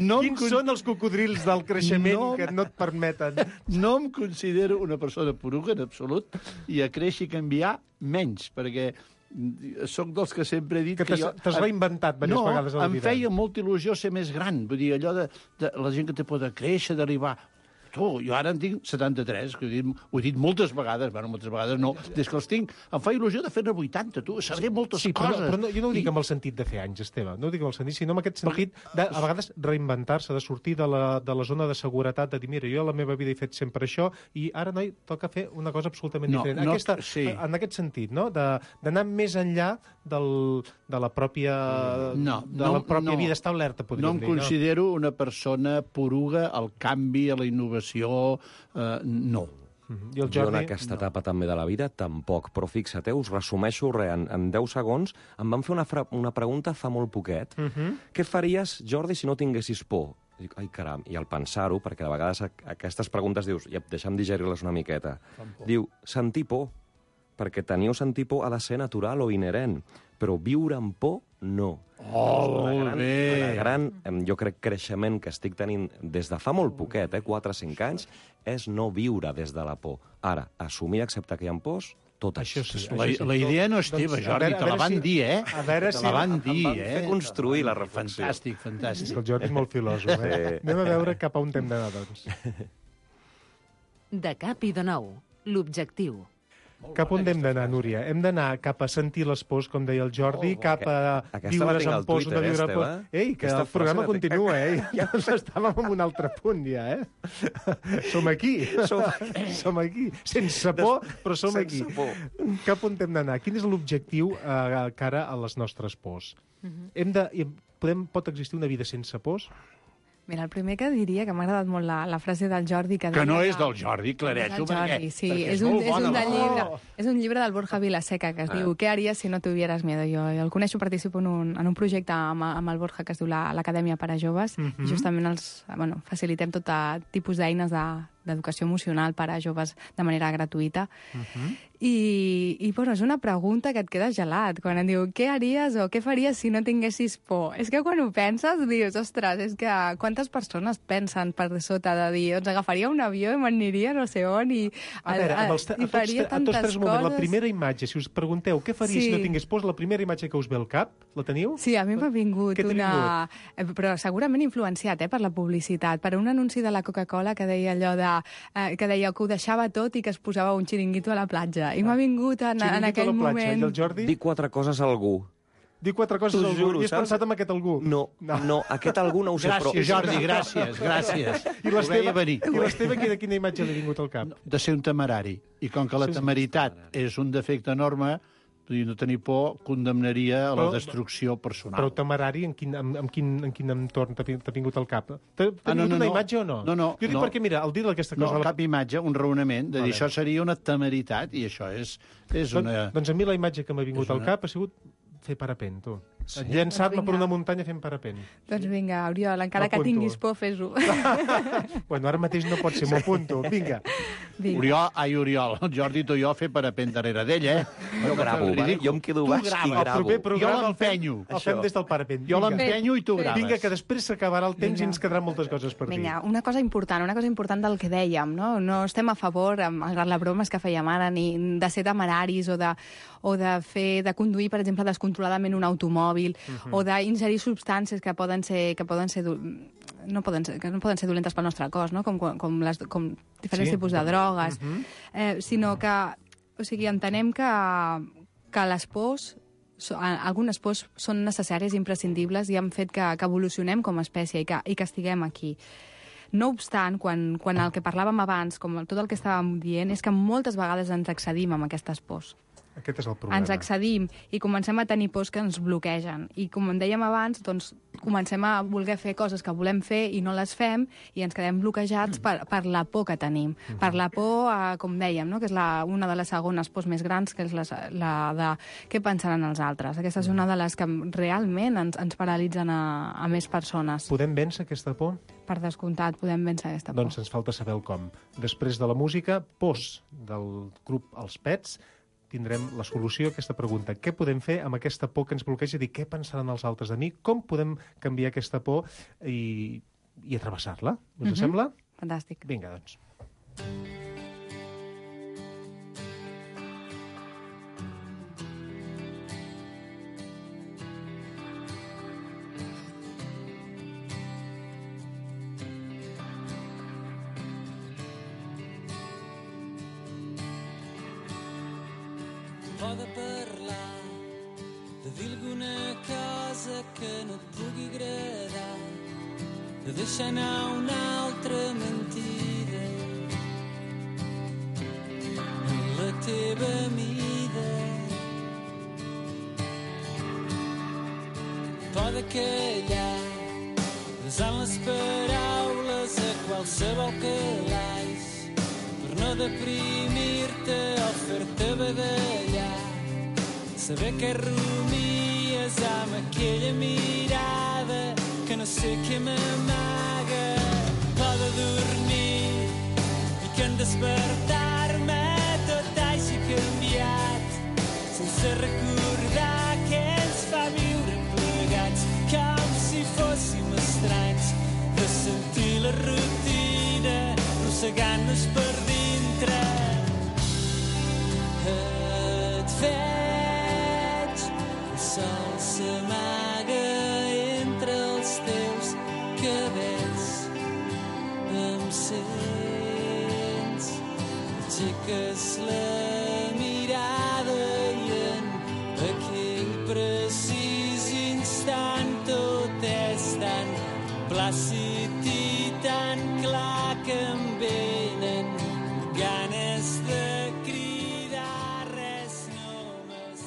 [SPEAKER 10] No em
[SPEAKER 9] Quins
[SPEAKER 10] con-
[SPEAKER 9] són els cocodrils del creixement
[SPEAKER 10] No.
[SPEAKER 9] que no et permeten?
[SPEAKER 10] No em considero una persona poruga, en absolut, i a créixer i canviar menys, perquè sóc dels que sempre he dit
[SPEAKER 9] Que
[SPEAKER 10] que,
[SPEAKER 9] t'has-
[SPEAKER 10] jo...
[SPEAKER 9] t'has reinventat diverses
[SPEAKER 10] no,
[SPEAKER 9] vegades a la
[SPEAKER 10] em
[SPEAKER 9] vida.
[SPEAKER 10] feia molta il·lusió ser més gran. Vull dir, allò de, de la gent que té por de créixer, d'arribar... Tu, jo ara en tinc setanta-tres, que ho he dit, ho he dit moltes vegades, bueno, moltes vegades no, des que els tinc. Em fa il·lusió de fer-ne vuitanta, tu, sabré moltes
[SPEAKER 9] Sí, però,
[SPEAKER 10] coses.
[SPEAKER 9] però no, jo no ho dic
[SPEAKER 10] I-
[SPEAKER 9] amb el sentit de fer anys, Esteve, no ho dic amb el sentit, sinó amb aquest sentit de, a vegades, reinventar-se, de sortir de la, de la zona de seguretat, de dir, mira, jo a la meva vida he fet sempre això, i ara, noi, toca fer una cosa absolutament
[SPEAKER 10] No,
[SPEAKER 9] diferent.
[SPEAKER 10] no,
[SPEAKER 9] Aquesta,
[SPEAKER 10] sí.
[SPEAKER 9] En aquest sentit, no?, De- d'anar més enllà del, de la pròpia,
[SPEAKER 10] No,
[SPEAKER 9] de
[SPEAKER 10] no,
[SPEAKER 9] la pròpia
[SPEAKER 10] no.
[SPEAKER 9] vida establerta, podríem
[SPEAKER 10] No em
[SPEAKER 9] dir.
[SPEAKER 10] considero una persona poruga al canvi, a la innovació, eh, no.
[SPEAKER 9] Mhm. I el
[SPEAKER 12] Jo en
[SPEAKER 9] Jordi?
[SPEAKER 12] aquesta etapa també de la vida, tampoc. Però fixa't, eh, us resumeixo res. En, en deu segons em van fer una, fra una pregunta fa molt poquet.
[SPEAKER 9] Uh -huh.
[SPEAKER 12] Què faries, Jordi, si no tinguessis por? Dic, ai, caram, i al pensar-ho, perquè de vegades a- aquestes preguntes dius, ja, deixa'm digerir-les una miqueta. Diu, sentir por, perquè tenir o sentir por ha de ser natural o inherent, però viure amb por, no.
[SPEAKER 10] Oh,
[SPEAKER 12] El
[SPEAKER 10] molt
[SPEAKER 12] gran,
[SPEAKER 10] bé.
[SPEAKER 12] el gran, em, jo crec, creixement que estic tenint des de fa molt poquet, eh, quatre o cinc anys, és no viure des de la por. Ara, assumir i acceptar que hi ha pors, totes.
[SPEAKER 9] Això sí.
[SPEAKER 10] La,
[SPEAKER 9] això sí.
[SPEAKER 10] la idea no és
[SPEAKER 9] Doncs,
[SPEAKER 10] teva,
[SPEAKER 9] a
[SPEAKER 10] Jordi,
[SPEAKER 9] veure- a
[SPEAKER 10] te la
[SPEAKER 9] veure
[SPEAKER 10] van
[SPEAKER 9] si-
[SPEAKER 10] dir, eh?
[SPEAKER 9] a veure
[SPEAKER 10] te
[SPEAKER 9] si-
[SPEAKER 10] la van
[SPEAKER 9] em
[SPEAKER 10] dir,
[SPEAKER 12] van
[SPEAKER 10] eh?
[SPEAKER 12] fer construir la reflexió.
[SPEAKER 10] Fantàstic,
[SPEAKER 9] És
[SPEAKER 10] fantàstic.
[SPEAKER 9] que el Jordi és molt filòsof, eh?
[SPEAKER 12] Sí.
[SPEAKER 9] Anem a veure cap a on hem d'anar, doncs.
[SPEAKER 4] De cap i de nou, l'objectiu.
[SPEAKER 9] Cap on hem d'anar, Núria? Hem d'anar cap a sentir les pors, com deia el Jordi, oh, cap a viure's en pors o no viure en pors. Ei, que el programa continua, eh? Ja estàvem en un altre punt, ja, eh? Som aquí. Som, som aquí. Sense por, però som aquí. Cap on hem d'anar? Quin és l'objectiu a cara a les nostres pors? Hem de... Podem, pot existir una vida sense pors?
[SPEAKER 11] Mira, el primer que diria, que m'ha agradat molt la, la frase del Jordi... Que,
[SPEAKER 10] que
[SPEAKER 11] deia,
[SPEAKER 10] no és del Jordi, clareixo, perquè,
[SPEAKER 11] sí,
[SPEAKER 10] perquè és,
[SPEAKER 11] és un,
[SPEAKER 10] molt bona.
[SPEAKER 11] És un, de llibre,
[SPEAKER 10] Oh!
[SPEAKER 11] és un llibre del Borja Vilaseca que es ah. diu Què haries si no tuvieras miedo? Jo, jo el coneixo, participo en un, en un projecte amb, amb el Borja que es diu l'Acadèmia per a Joves uh -huh. i justament els, bueno, facilitem tot tipus d'eines de, d'educació emocional per a joves de manera gratuïta. Uh -huh. I, i bueno, és una pregunta que et queda gelat, quan em diu què haries o què faries si no tinguessis por? És que quan ho penses dius, ostres, és que quantes persones pensen per sota de dir, doncs agafaria un avió i m'aniria no sé on i,
[SPEAKER 9] a veure, a, els, a,
[SPEAKER 11] i faria
[SPEAKER 9] a tots,
[SPEAKER 11] tantes
[SPEAKER 9] a tots
[SPEAKER 11] coses.
[SPEAKER 9] La primera imatge, si us pregunteu què faria sí. si no tingués por, la primera imatge que us ve al cap, la teniu?
[SPEAKER 11] Sí, a mi m'ha vingut una... Vingut? Però segurament influenciat eh, per la publicitat, per un anunci de la Coca-Cola que deia allò de... Eh, que deia que ho deixava tot i que es posava un xiringuito a la platja. I m'ha vingut en, en aquell moment...
[SPEAKER 9] I el Jordi?
[SPEAKER 12] Dir quatre coses a algú.
[SPEAKER 9] Dir quatre coses a algú.
[SPEAKER 12] Juro,
[SPEAKER 9] I has
[SPEAKER 12] saps?
[SPEAKER 9] pensat en aquest algú?
[SPEAKER 12] No, no, no aquest algú no ho sé,
[SPEAKER 10] gràcies,
[SPEAKER 12] però...
[SPEAKER 10] Gràcies, Jordi, gràcies, gràcies.
[SPEAKER 9] I l'Esteve, i l'Esteve quina, quina imatge li ha vingut al cap?
[SPEAKER 10] De ser un temerari. I com que la temeritat és un defecte enorme, no tenir por condemnaria a la destrucció personal.
[SPEAKER 9] Però temerari, en quin, en, en quin, en quin entorn t'ha vingut al cap? T'ha ah, no,
[SPEAKER 10] vingut
[SPEAKER 9] no, una
[SPEAKER 10] no.
[SPEAKER 9] imatge o no?
[SPEAKER 10] No, no.
[SPEAKER 9] Jo dic
[SPEAKER 10] no.
[SPEAKER 9] perquè, mira, al dir d'aquesta cosa...
[SPEAKER 10] No, cap imatge, un raonament, de dir, vale. Això seria una temeritat, i això és, és
[SPEAKER 9] Don,
[SPEAKER 10] una...
[SPEAKER 9] Doncs a mi la imatge que m'ha vingut una... al cap ha sigut fer parapent, tu. Sí? Llançar-me per una muntanya fent parapent.
[SPEAKER 11] Doncs vinga, Oriol, encara que tinguis por, fes-ho.
[SPEAKER 9] Bueno, ara mateix no pot ser, m'ho apunto. Vinga.
[SPEAKER 10] Vinga. Oriol, ai, Oriol, el Jordi tu i jo fer parapent darrere d'ell, eh?
[SPEAKER 12] Jo gravo, vale? Jo em quedo baix i gravo.
[SPEAKER 10] Jo l'empenyo.
[SPEAKER 9] El fem des del parapent.
[SPEAKER 10] Jo l'empenyo i tu graves.
[SPEAKER 9] Vinga, que després s'acabarà el temps i ens quedaran moltes coses per dir.
[SPEAKER 11] Vinga, una cosa important, una cosa important del que dèiem, no? No estem a favor, malgrat la broma que fèiem ara, ni de ser temeraris o de, o de fer, de conduir, per exemple, descontroladament un automòbil, uh-huh. o d'ingerir substàncies que poden ser, que poden ser no poden ser, que no poden ser dolentes pel nostre cos, no? com, com, les, com diferents sí. tipus de drogues, uh-huh. eh, sinó que, o sigui, entenem que, que les pors, algunes pors són necessàries i imprescindibles i han fet que, que evolucionem com a espècie i que, i que estiguem aquí. No obstant, quan, quan el que parlàvem abans, com tot el que estàvem dient, és que moltes vegades ens excedim amb aquestes pors.
[SPEAKER 9] Aquest és el problema.
[SPEAKER 11] Ens excedim i comencem a tenir pors que ens bloquegen. I com en dèiem abans, doncs, comencem a voler fer coses que volem fer i no les fem i ens quedem bloquejats per, per la por que tenim. Mm-hmm. Per la por, a, com dèiem, no? que és la, una de les segones pors més grans, que és la, la de què pensaran els altres. Aquesta és una de les que realment ens, ens paralitzen a, a més persones.
[SPEAKER 9] Podem vèncer aquesta por?
[SPEAKER 11] Per descomptat, podem vèncer aquesta por.
[SPEAKER 9] Doncs ens falta saber el com. Després de la música, pors del grup Els Pets, tindrem la solució a aquesta pregunta. Què podem fer amb aquesta por que ens bloqueja? Dir, què pensaran els altres de mi? Com podem canviar aquesta por i, i atravessar-la? Us mm-hmm. sembla?
[SPEAKER 11] Fantàstic.
[SPEAKER 9] Vinga, doncs.
[SPEAKER 13] De parlar, de dir alguna cosa que no et pugui agradar, de deixar anar una altra mentida en la teva mida. Pode callar, desant les paraules a qualsevol calaix, per no deprimir-te o fer-te badallar. Saber que rumies amb aquella mirada que no sé què m'amaga. Pode dormir i que en despertar-me tot hagi canviat, sense recordar que ens fa viure plegats, com si fóssim estranys, de sentir la rutina rossegant-nos per dintre. Et veig, el sol s'amaga entre els teus cabells, em sents, aixeques la mirada mirada i en aquell precís instant tot és tan plàcid i tan clar que em venen ganes de cridar res només.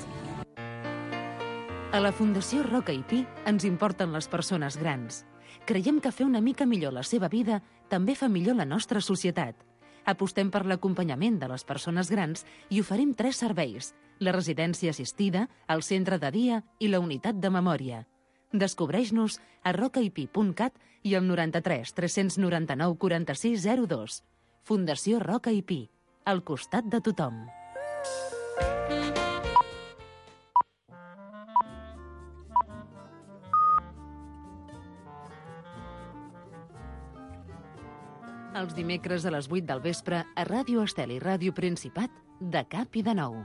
[SPEAKER 4] A la Fundació Roca i Pi ens importen les persones grans. Creiem que fer una mica millor la seva vida també fa millor la nostra societat. Apostem per l'acompanyament de les persones grans i oferim tres serveis: la residència assistida, el centre de dia i la unitat de memòria. Descobreix-nos a rocaipi punt cat i al noranta-tres tres noranta-nou quaranta-sis zero dos. Fundació Roca i Pi, al costat de tothom. Els dimecres a les vuit del vespre a Ràdio Estel i Ràdio Principat, de cap i de nou.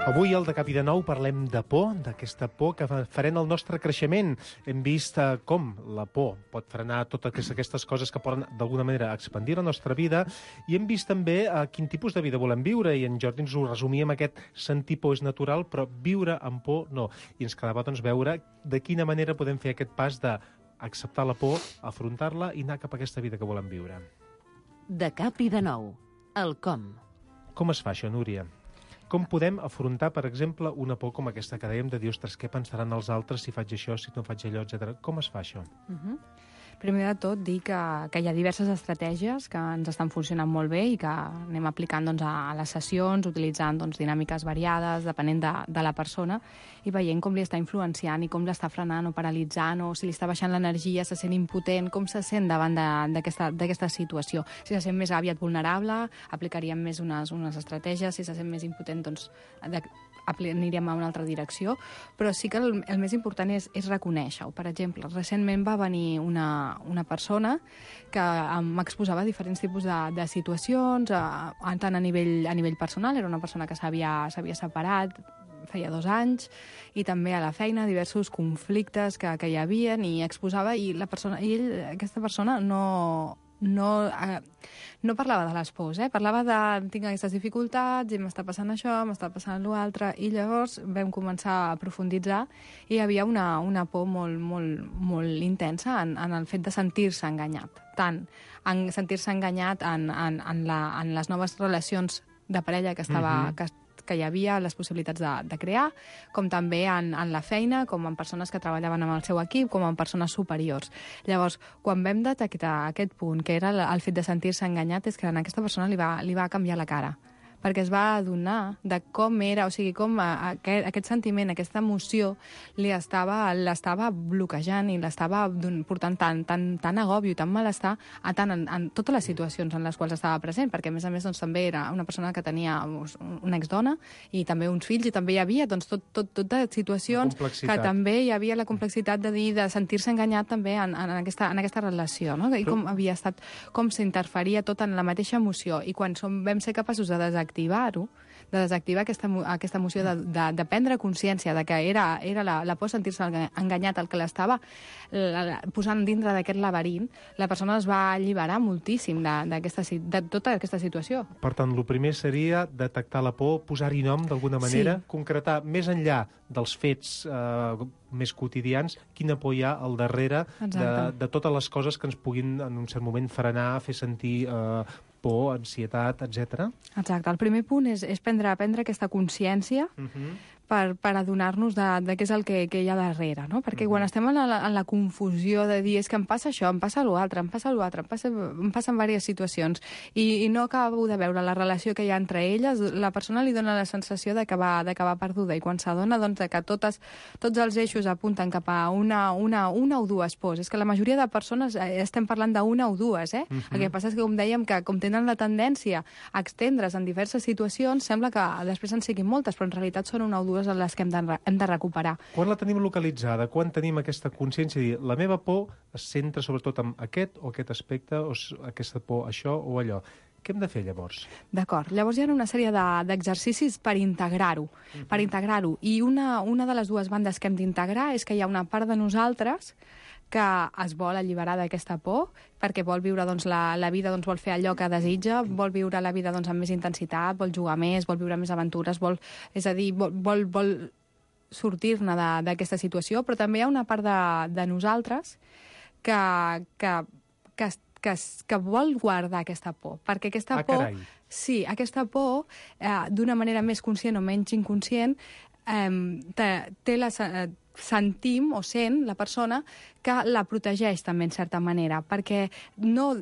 [SPEAKER 9] Avui, al De Cap i de Nou, parlem de por, d'aquesta por que frena el nostre creixement. Hem vist eh, com la por pot frenar totes aquestes coses que poden, d'alguna manera, expandir la nostra vida, i hem vist també eh, quin tipus de vida volem viure, i en Jordi ens ho resumia amb aquest sentir por és natural, però viure amb por no. I ens quedava doncs, veure de quina manera podem fer aquest pas d'acceptar la por, afrontar-la i anar cap a aquesta vida que volem viure.
[SPEAKER 4] De Cap i de Nou, el com.
[SPEAKER 9] Com es fa això, Núria? Com podem afrontar, per exemple, una por com aquesta que dèiem de dir, ostres, què pensaran els altres si faig això, si no faig allò, etcètera. Com es fa això?
[SPEAKER 11] Uh-huh. Primer de tot, dir que, que hi ha diverses estratègies que ens estan funcionant molt bé i que anem aplicant doncs, a, a les sessions, utilitzant doncs, dinàmiques variades, depenent de, de la persona, i veient com li està influenciant i com l'està frenant o paralitzant, o si li està baixant l'energia, se sent impotent, com se sent davant d'aquesta situació. Si se sent més aviat vulnerable, aplicaríem més unes, unes estratègies, si se sent més impotent, doncs de, aniríem a una altra direcció, però sí que el, el més important és, és reconèixer-ho. Per exemple, recentment va venir una, una persona que m'exposava diferents tipus de, de situacions, a, a, tant a nivell, a nivell personal, era una persona que s'havia separat feia dos anys, i també a la feina, diversos conflictes que, que hi havia, i exposava, i, la persona, i ell, aquesta persona no... No, eh, no parlava de les pors, eh? Parlava de tinc aquestes dificultats i m'està passant això, m'està passant l'altre, i llavors vam començar a profunditzar i hi havia una, una por molt, molt, molt intensa en, en el fet de sentir-se enganyat, tant en sentir-se enganyat en, en, en, la, en les noves relacions de parella que estava... Mm-hmm. que, que hi havia les possibilitats de, de crear, com també en, en la feina, com en persones que treballaven amb el seu equip, com en persones superiors. Llavors, quan vam detectar aquest punt, que era el fet de sentir-se enganyat, és que a aquesta persona li va, li va canviar la cara, perquè es va adonar de com era, o sigui, com a, a, aquest sentiment, aquesta emoció, li estava, l'estava bloquejant i l'estava portant tant, tant, tant agòbio i tant malestar a tant en, en totes les situacions en les quals estava present, perquè a més a més doncs, també era una persona que tenia una exdona i també uns fills, i també hi havia doncs, tot, tot, tot de situacions que també hi havia la complexitat de dir, de sentir-se enganyat també en, en, aquesta, en aquesta relació, no? I com havia estat, com s'interferia tot en la mateixa emoció, i quan som, vam ser capaços de desactivar activar-ho, de desactivar aquesta, aquesta emoció de, de, de prendre consciència de que era, era la, la por sentir-se enganyat el que l'estava posant dintre d'aquest laberint, la persona es va alliberar moltíssim de, de, de tota aquesta situació.
[SPEAKER 9] Per tant, el primer seria detectar la por, posar-hi nom d'alguna manera, sí. Concretar més enllà dels fets eh, més quotidians, quina por hi ha al darrere de, de totes les coses que ens puguin en un cert moment frenar, fer sentir eh, por, ansietat, etcètera.
[SPEAKER 11] Exacte. El primer punt és, és prendre, prendre aquesta consciència uh-huh. per, per adonar-nos de, de què és el que, que hi ha darrere, no? Perquè uh-huh. quan estem en la, en la confusió de dir és que em passa això, em passa l'altre, em passa l'altre, em, passa, em passen diverses situacions, i, i no acabo de veure la relació que hi ha entre elles, la persona li dona la sensació d'acabar perduda, i quan s'adona doncs, que totes, tots els eixos apunten cap a una, una, una o dues pors. És que la majoria de persones estem parlant d'una o dues, eh? Uh-huh. El que passa és que, com dèiem, que com tenen la tendència a extendre's en diverses situacions, sembla que després en siguin moltes, però en realitat són una o dues les que hem de, hem de recuperar.
[SPEAKER 9] Quan la tenim localitzada? Quan tenim aquesta consciència de dir, la meva por es centra sobretot en aquest o aquest aspecte, o aquesta por, això o allò? Què hem de fer, llavors?
[SPEAKER 11] D'acord. Llavors hi ha una sèrie d'exercicis de, per integrar-ho. Uh-huh. Per integrar-ho. I una, una de les dues bandes que hem d'integrar és que hi ha una part de nosaltres que es vol alliberar d'aquesta por, perquè vol viure doncs, la, la vida, doncs, vol fer allò que desitja, vol viure la vida doncs, amb més intensitat, vol jugar més, vol viure més aventures, vol, és a dir, vol, vol, vol sortir-ne d'aquesta situació, però també hi ha una part de, de nosaltres que, que, que, que, que vol guardar aquesta por, perquè aquesta
[SPEAKER 9] ah,
[SPEAKER 11] por...
[SPEAKER 9] Carai.
[SPEAKER 11] Sí, aquesta por, eh, d'una manera més conscient o menys inconscient, eh, té, té la... Eh, sentim o sent la persona que la protegeix també en certa manera, perquè no...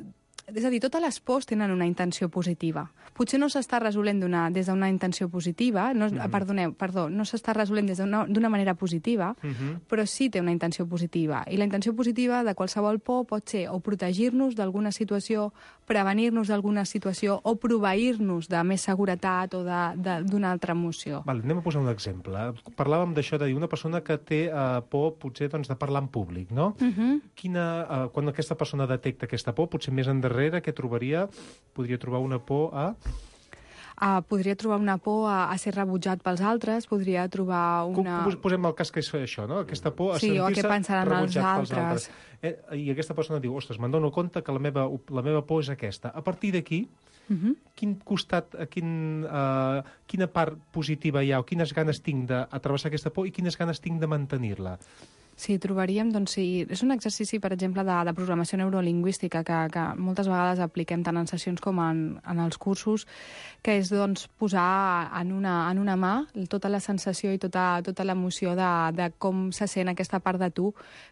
[SPEAKER 11] És a dir, totes les pors tenen una intenció positiva. Potser no s'està resolent des d'una intenció positiva, no, mm-hmm. perdoneu, perdó, no s'està resolent des d'una manera positiva, mm-hmm. però sí té una intenció positiva. I la intenció positiva de qualsevol por pot ser o protegir-nos d'alguna situació, prevenir-nos d'alguna situació o proveir-nos de més seguretat o d'una altra emoció.
[SPEAKER 9] Vale, anem a posar un exemple. Parlàvem d'això de dir una persona que té uh, por potser doncs, de parlar en públic, no? Mm-hmm. Quina, uh, quan aquesta persona detecta aquesta por, potser més endarrere què trobaria? Podria trobar una por a...
[SPEAKER 11] Uh, podria trobar una por a, a ser rebutjat pels altres, podria trobar una...
[SPEAKER 9] Com, posem el cas que és això, no? Aquesta por a
[SPEAKER 11] sí,
[SPEAKER 9] sentir-se rebutjat
[SPEAKER 11] pels
[SPEAKER 9] altres.
[SPEAKER 11] altres.
[SPEAKER 9] Eh, I aquesta persona diu, ostres, me'n dono compte que la meva, la meva por és aquesta. A partir d'aquí, uh-huh. quin costat, quin, uh, quina part positiva hi ha o quines ganes tinc d'atrevessar aquesta por i quines ganes tinc de mantenir-la?
[SPEAKER 11] Sí, trobaríem, doncs, sí, és un exercici, per exemple, de, de programació neurolingüística que, que moltes vegades apliquem tant en sessions com en, en els cursos, que és, doncs, posar en una, en una mà tota la sensació i tota, tota l'emoció de, de com se sent aquesta part de tu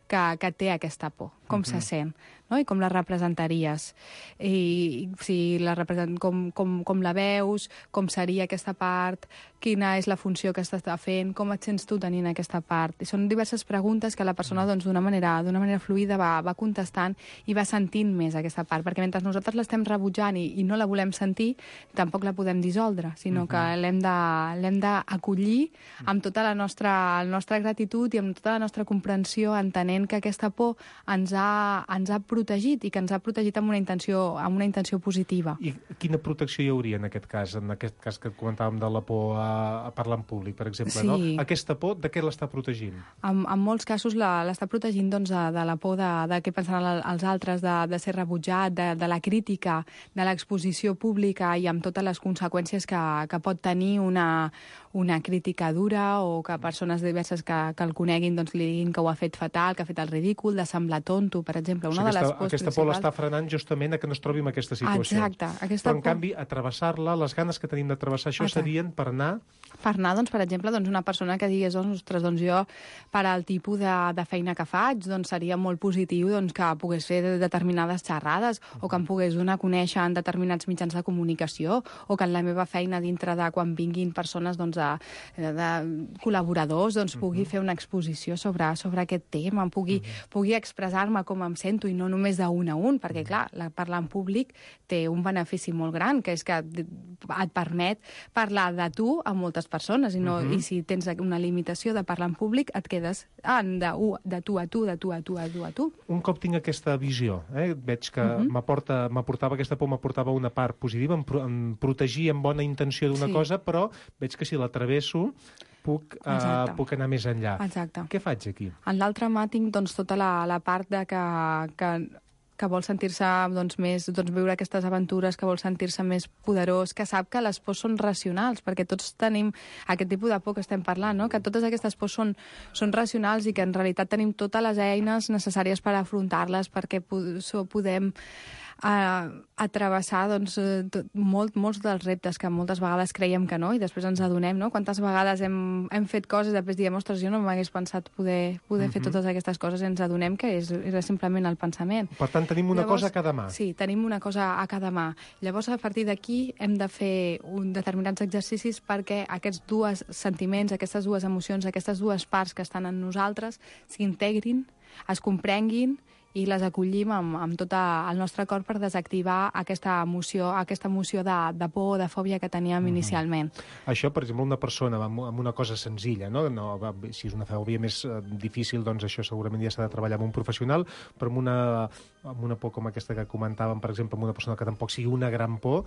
[SPEAKER 11] que, que té aquesta por, com uh-huh. se sent, no? I com la representaries, i si la represent, com, com, com la veus, com seria aquesta part, quina és la funció que estàs fent, com et sents tu tenint aquesta part. I són diverses preguntes que la persona doncs, d'una manera, d'una manera fluida va, va contestant i va sentint més aquesta part, perquè mentre nosaltres l'estem rebutjant i, i no la volem sentir, tampoc la podem dissoldre, sinó uh-huh. que l'hem de, l'hem d'acollir amb tota la nostra, la nostra gratitud i amb tota la nostra comprensió, entenent que aquesta por ens ha, ens ha protegit i que ens ha protegit amb una intenció, amb una intenció positiva.
[SPEAKER 9] I quina protecció hi hauria en aquest cas, en aquest cas que comentàvem de la por a, a parlar en públic, per exemple,
[SPEAKER 11] sí.
[SPEAKER 9] no? Aquesta por, de què l'està protegint?
[SPEAKER 11] En, en molts casos l'està protegint doncs, de, de la por de, de què pensaran els altres, de, de ser rebutjat, de, de la crítica, de l'exposició pública i amb totes les conseqüències que, que pot tenir una, una crítica dura o que persones diverses que, que el coneguin doncs, li diguin que ho ha fet fatal, que ha fet el ridícul, de semblar tonto, per exemple. Una
[SPEAKER 9] o sigui,
[SPEAKER 11] de les
[SPEAKER 9] aquesta,
[SPEAKER 11] pors
[SPEAKER 9] aquesta
[SPEAKER 11] principals...
[SPEAKER 9] por l'està frenant justament a que no es trobi en aquesta situació.
[SPEAKER 11] Exacte. Aquesta
[SPEAKER 9] Però, en
[SPEAKER 11] por...
[SPEAKER 9] canvi, atravessar-la, les ganes que tenim d'atravessar això
[SPEAKER 11] Exacte.
[SPEAKER 9] serien per anar...
[SPEAKER 11] Per anar, doncs, per exemple, doncs, una persona que digués, ostres, doncs jo, per al tipus de, de feina que faig, doncs seria molt positiu doncs, que pogués fer determinades xerrades o que em pogués donar a conèixer en determinats mitjans de comunicació o que en la meva feina dintre de quan vinguin persones doncs, de, de col·laboradors doncs, pugui uh-huh. fer una exposició sobre, sobre aquest tema, pugui, uh-huh. pugui expressar-me com em sento i no només d'un a un, perquè, clar, la, parlar en públic té un benefici molt gran, que és que et permet parlar de tu a moltes persones i, no, uh-huh. i si tens una limitació de parlar en públic et quedes en de, de tu a tu, de tu a tu, a tu a tu.
[SPEAKER 9] Un cop tinc aquesta visió, eh, veig que uh-huh. m'aportava aquesta por, m'aportava una part positiva, em, pro, em protegia amb bona intenció d'una sí. cosa, però veig que si la travesso puc, uh, puc anar més enllà.
[SPEAKER 11] Exacte.
[SPEAKER 9] Què faig aquí?
[SPEAKER 11] En l'altre mà tinc doncs, tota la, la part de que, que que vol sentir-se doncs, més, doncs, viure aquestes aventures, que vol sentir-se més poderós, que sap que les pors són racionals, perquè tots tenim aquest tipus de por que estem parlant, no? Que totes aquestes pors són, són racionals i que en realitat tenim totes les eines necessàries per afrontar-les, perquè podem a, a travessar doncs, tot, molt, molts dels reptes que moltes vegades creiem que no i després ens adonem, no? Quantes vegades hem, hem fet coses i després diem, ostres, jo no m'hagués pensat poder, poder uh-huh. fer totes aquestes coses i ens adonem que és, era simplement el pensament.
[SPEAKER 9] Per tant, tenim una
[SPEAKER 11] Llavors,
[SPEAKER 9] cosa a cada mà.
[SPEAKER 11] Sí, tenim una cosa a cada mà. Llavors, a partir d'aquí hem de fer un determinats exercicis perquè aquests dos sentiments, aquestes dues emocions, aquestes dues parts que estan en nosaltres s'integrin, es comprenguin i les acollim amb, amb tot el nostre cor per desactivar aquesta emoció, aquesta emoció de, de por o de fòbia que teníem mm-hmm. inicialment.
[SPEAKER 9] Això, per exemple, una persona amb, amb una cosa senzilla, no? No, si és una fòbia més uh, difícil, doncs això segurament ja s'ha de treballar amb un professional, però amb una, amb una por com aquesta que comentàvem, per exemple, amb una persona que tampoc sigui una gran por,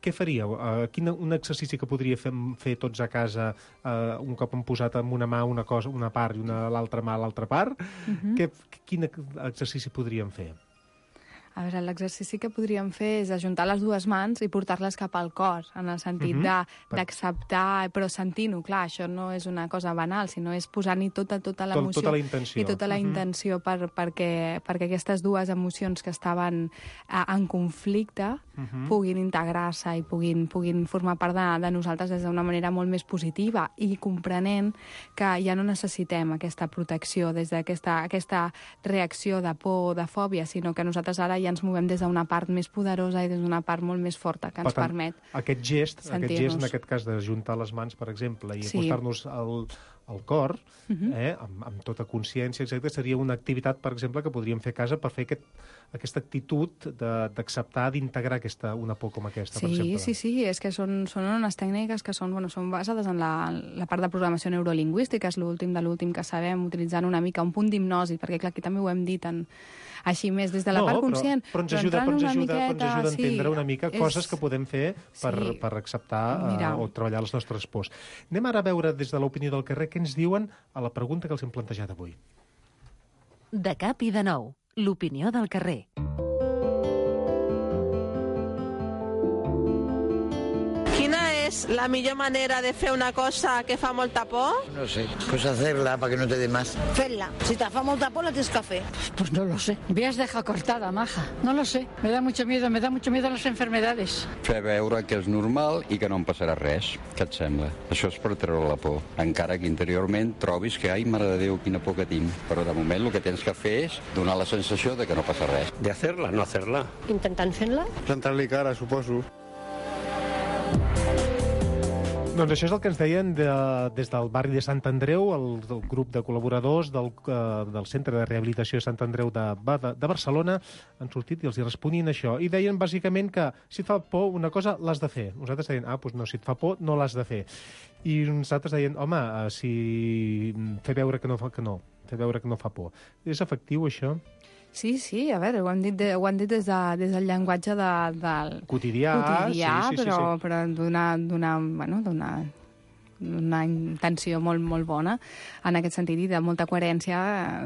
[SPEAKER 9] què faríeu? Uh, quin un exercici que podria fer, fer tots a casa uh, un cop hem posat amb una mà una cosa, una part i una l'altra mà a l'altra part?
[SPEAKER 11] Mhm.
[SPEAKER 9] Què, quin exercici podríem fer?
[SPEAKER 11] A veure, l'exercici que podríem fer és ajuntar les dues mans i portar-les cap al cor, en el sentit
[SPEAKER 9] Mhm.
[SPEAKER 11] de- d'acceptar, però sentint-ho. Clar, això no és una cosa banal, sinó és posant-hi tota, tota l'emoció.
[SPEAKER 9] Tota la intenció.
[SPEAKER 11] I tota la
[SPEAKER 9] Mhm.
[SPEAKER 11] intenció per, perquè, perquè aquestes dues emocions que estaven eh, en conflicte
[SPEAKER 9] Mhm.
[SPEAKER 11] puguin integrar-se i puguin, puguin formar part de, de nosaltres des d'una manera molt més positiva i comprenent que ja no necessitem aquesta protecció des d'aquesta aquesta reacció de por o de fòbia, sinó que nosaltres ara ja ens movem des d'una part més poderosa i des d'una part molt més forta que ens
[SPEAKER 9] Per tant,
[SPEAKER 11] permet
[SPEAKER 9] Aquest gest, aquest
[SPEAKER 11] sentir-nos.
[SPEAKER 9] gest, en aquest cas, d'ajuntar les mans, per exemple, i
[SPEAKER 11] Sí.
[SPEAKER 9] acostar-nos al, al cor,
[SPEAKER 11] Mhm.
[SPEAKER 9] eh, amb, amb tota consciència, exacte, seria una activitat, per exemple, que podríem fer a casa per fer aquest, aquesta actitud de- d'acceptar, d'integrar aquesta, una por com aquesta, per
[SPEAKER 11] Sí,
[SPEAKER 9] exemple.
[SPEAKER 11] sí, sí, és que són, són unes tècniques que són, bueno, són basades en la, en la part de programació neurolingüística, és l'últim de l'últim que sabem, utilitzant una mica un punt d'hipnosi, perquè clar, aquí també ho hem dit en, així més des de la
[SPEAKER 9] no,
[SPEAKER 11] part
[SPEAKER 9] però,
[SPEAKER 11] conscient.
[SPEAKER 9] però ens ajuda,
[SPEAKER 11] entrant
[SPEAKER 9] però ens
[SPEAKER 11] una
[SPEAKER 9] ajuda, però ens
[SPEAKER 11] miqueta,
[SPEAKER 9] ajuda a entendre
[SPEAKER 11] sí,
[SPEAKER 9] una mica
[SPEAKER 11] és-
[SPEAKER 9] coses que podem fer per,
[SPEAKER 11] Sí.
[SPEAKER 9] per acceptar
[SPEAKER 11] Mira.
[SPEAKER 9] uh, o treballar les nostres pors. Anem ara a veure des de l'opinió del carrer què ens diuen a la pregunta que els hem plantejat avui.
[SPEAKER 4] De cap i de nou, l'opinió del carrer.
[SPEAKER 14] Quina és la millor manera de fer una cosa que fa molta por?
[SPEAKER 15] No sé, pues hacerla para que no te dé más.
[SPEAKER 16] Hacerla. Si te fa molta por, la tienes que hacer. Pues no lo sé. Me has dejado cortada, maja. No lo sé. Me da mucho miedo, me da mucho miedo las enfermedades.
[SPEAKER 17] Fer veure que és normal i que no em passarà res. Què et sembla? Això és per treure la por. Encara que interiorment trobis que, ai, mare de Déu, quina por que tinc. Però de moment el que tens que fer és donar la sensació de que no passa res.
[SPEAKER 18] De hacerla, no hacerla.
[SPEAKER 16] Intentant fer-la?
[SPEAKER 18] Plantar-li cara, suposo.
[SPEAKER 9] Doncs això és el que ens deien de, des del barri de Sant Andreu, el, el grup de col·laboradors del, uh, del Centre de Rehabilitació de Sant Andreu de, de, de Barcelona han sortit i els hi responien això. I deien bàsicament que si et fa por una cosa l'has de fer. Nosaltres deien, ah, doncs no, si et fa por no l'has de fer. I nosaltres deien, home, uh, si fer veure que no fa que no, fer veure que no fa por. És efectiu això?
[SPEAKER 11] Sí, sí, a veure, ho hem dit, de, ho hem dit des, de, des del llenguatge de, del
[SPEAKER 9] Quotidià,
[SPEAKER 11] quotidià
[SPEAKER 9] sí, sí,
[SPEAKER 11] però,
[SPEAKER 9] sí, sí.
[SPEAKER 11] però d'una, d'una, bueno, d'una una intenció molt, molt bona en aquest sentit i de molta coherència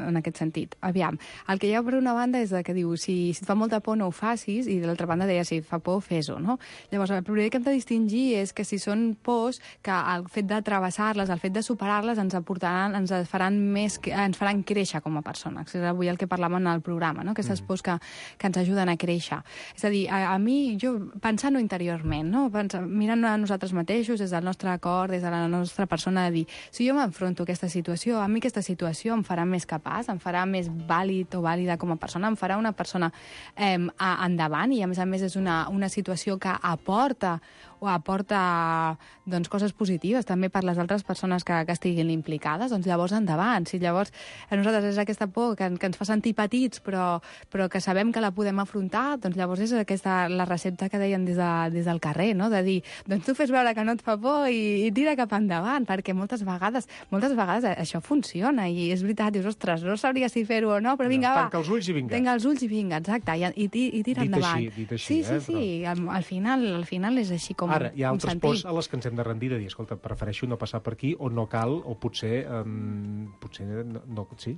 [SPEAKER 11] en aquest sentit. Aviam, el que hi ha per una banda és que diu, si, si et fa molta por no ho facis, i de l'altra banda deia, si et fa por, fes-ho, no? Llavors, el primer que hem de distingir és que si són pors, que el fet de travessar-les, el fet de superar-les ens aportaran, ens faran més, ens faran créixer com a persones. És avui el que parlàvem en el programa, no? Aquestes pors que, que ens ajuden a créixer. És a dir, a, a mi, jo, pensant-ho interiorment, no? Pensant, mirant a nosaltres mateixos, des del nostre cor, des de la la nostra persona, de dir, si jo m'enfronto a aquesta situació, a mi aquesta situació em farà més capaç, em farà més vàlid o vàlida com a persona, em farà una persona eh, endavant, i a més a més és una, una situació que aporta o aporta doncs, coses positives també per les altres persones que, que estiguin implicades, doncs llavors endavant. Si llavors a nosaltres és aquesta por que, que ens fa sentir petits però, però que sabem que la podem afrontar, doncs llavors és aquesta, la recepta que deien des, de, des del carrer, no? De dir, doncs tu fes veure que no et fa por i, i tira cap endavant, perquè moltes vegades moltes vegades això funciona i és veritat, dius, ostres, no sabria si fer-ho o no, però vinga, va.
[SPEAKER 9] Tanca els ulls i vinga.
[SPEAKER 11] Tanca els ulls i vinga, exacte, i, i, i tira
[SPEAKER 9] dit
[SPEAKER 11] endavant.
[SPEAKER 9] Així, dit així,
[SPEAKER 11] sí, sí,
[SPEAKER 9] eh,
[SPEAKER 11] sí, al, al, final, al final és així com
[SPEAKER 9] Ara, hi ha altres
[SPEAKER 11] sentir.
[SPEAKER 9] pors a les que ens hem de rendir, de dir, escolta, prefereixo no passar per aquí, o no cal, o potser, um, potser no, no, sí,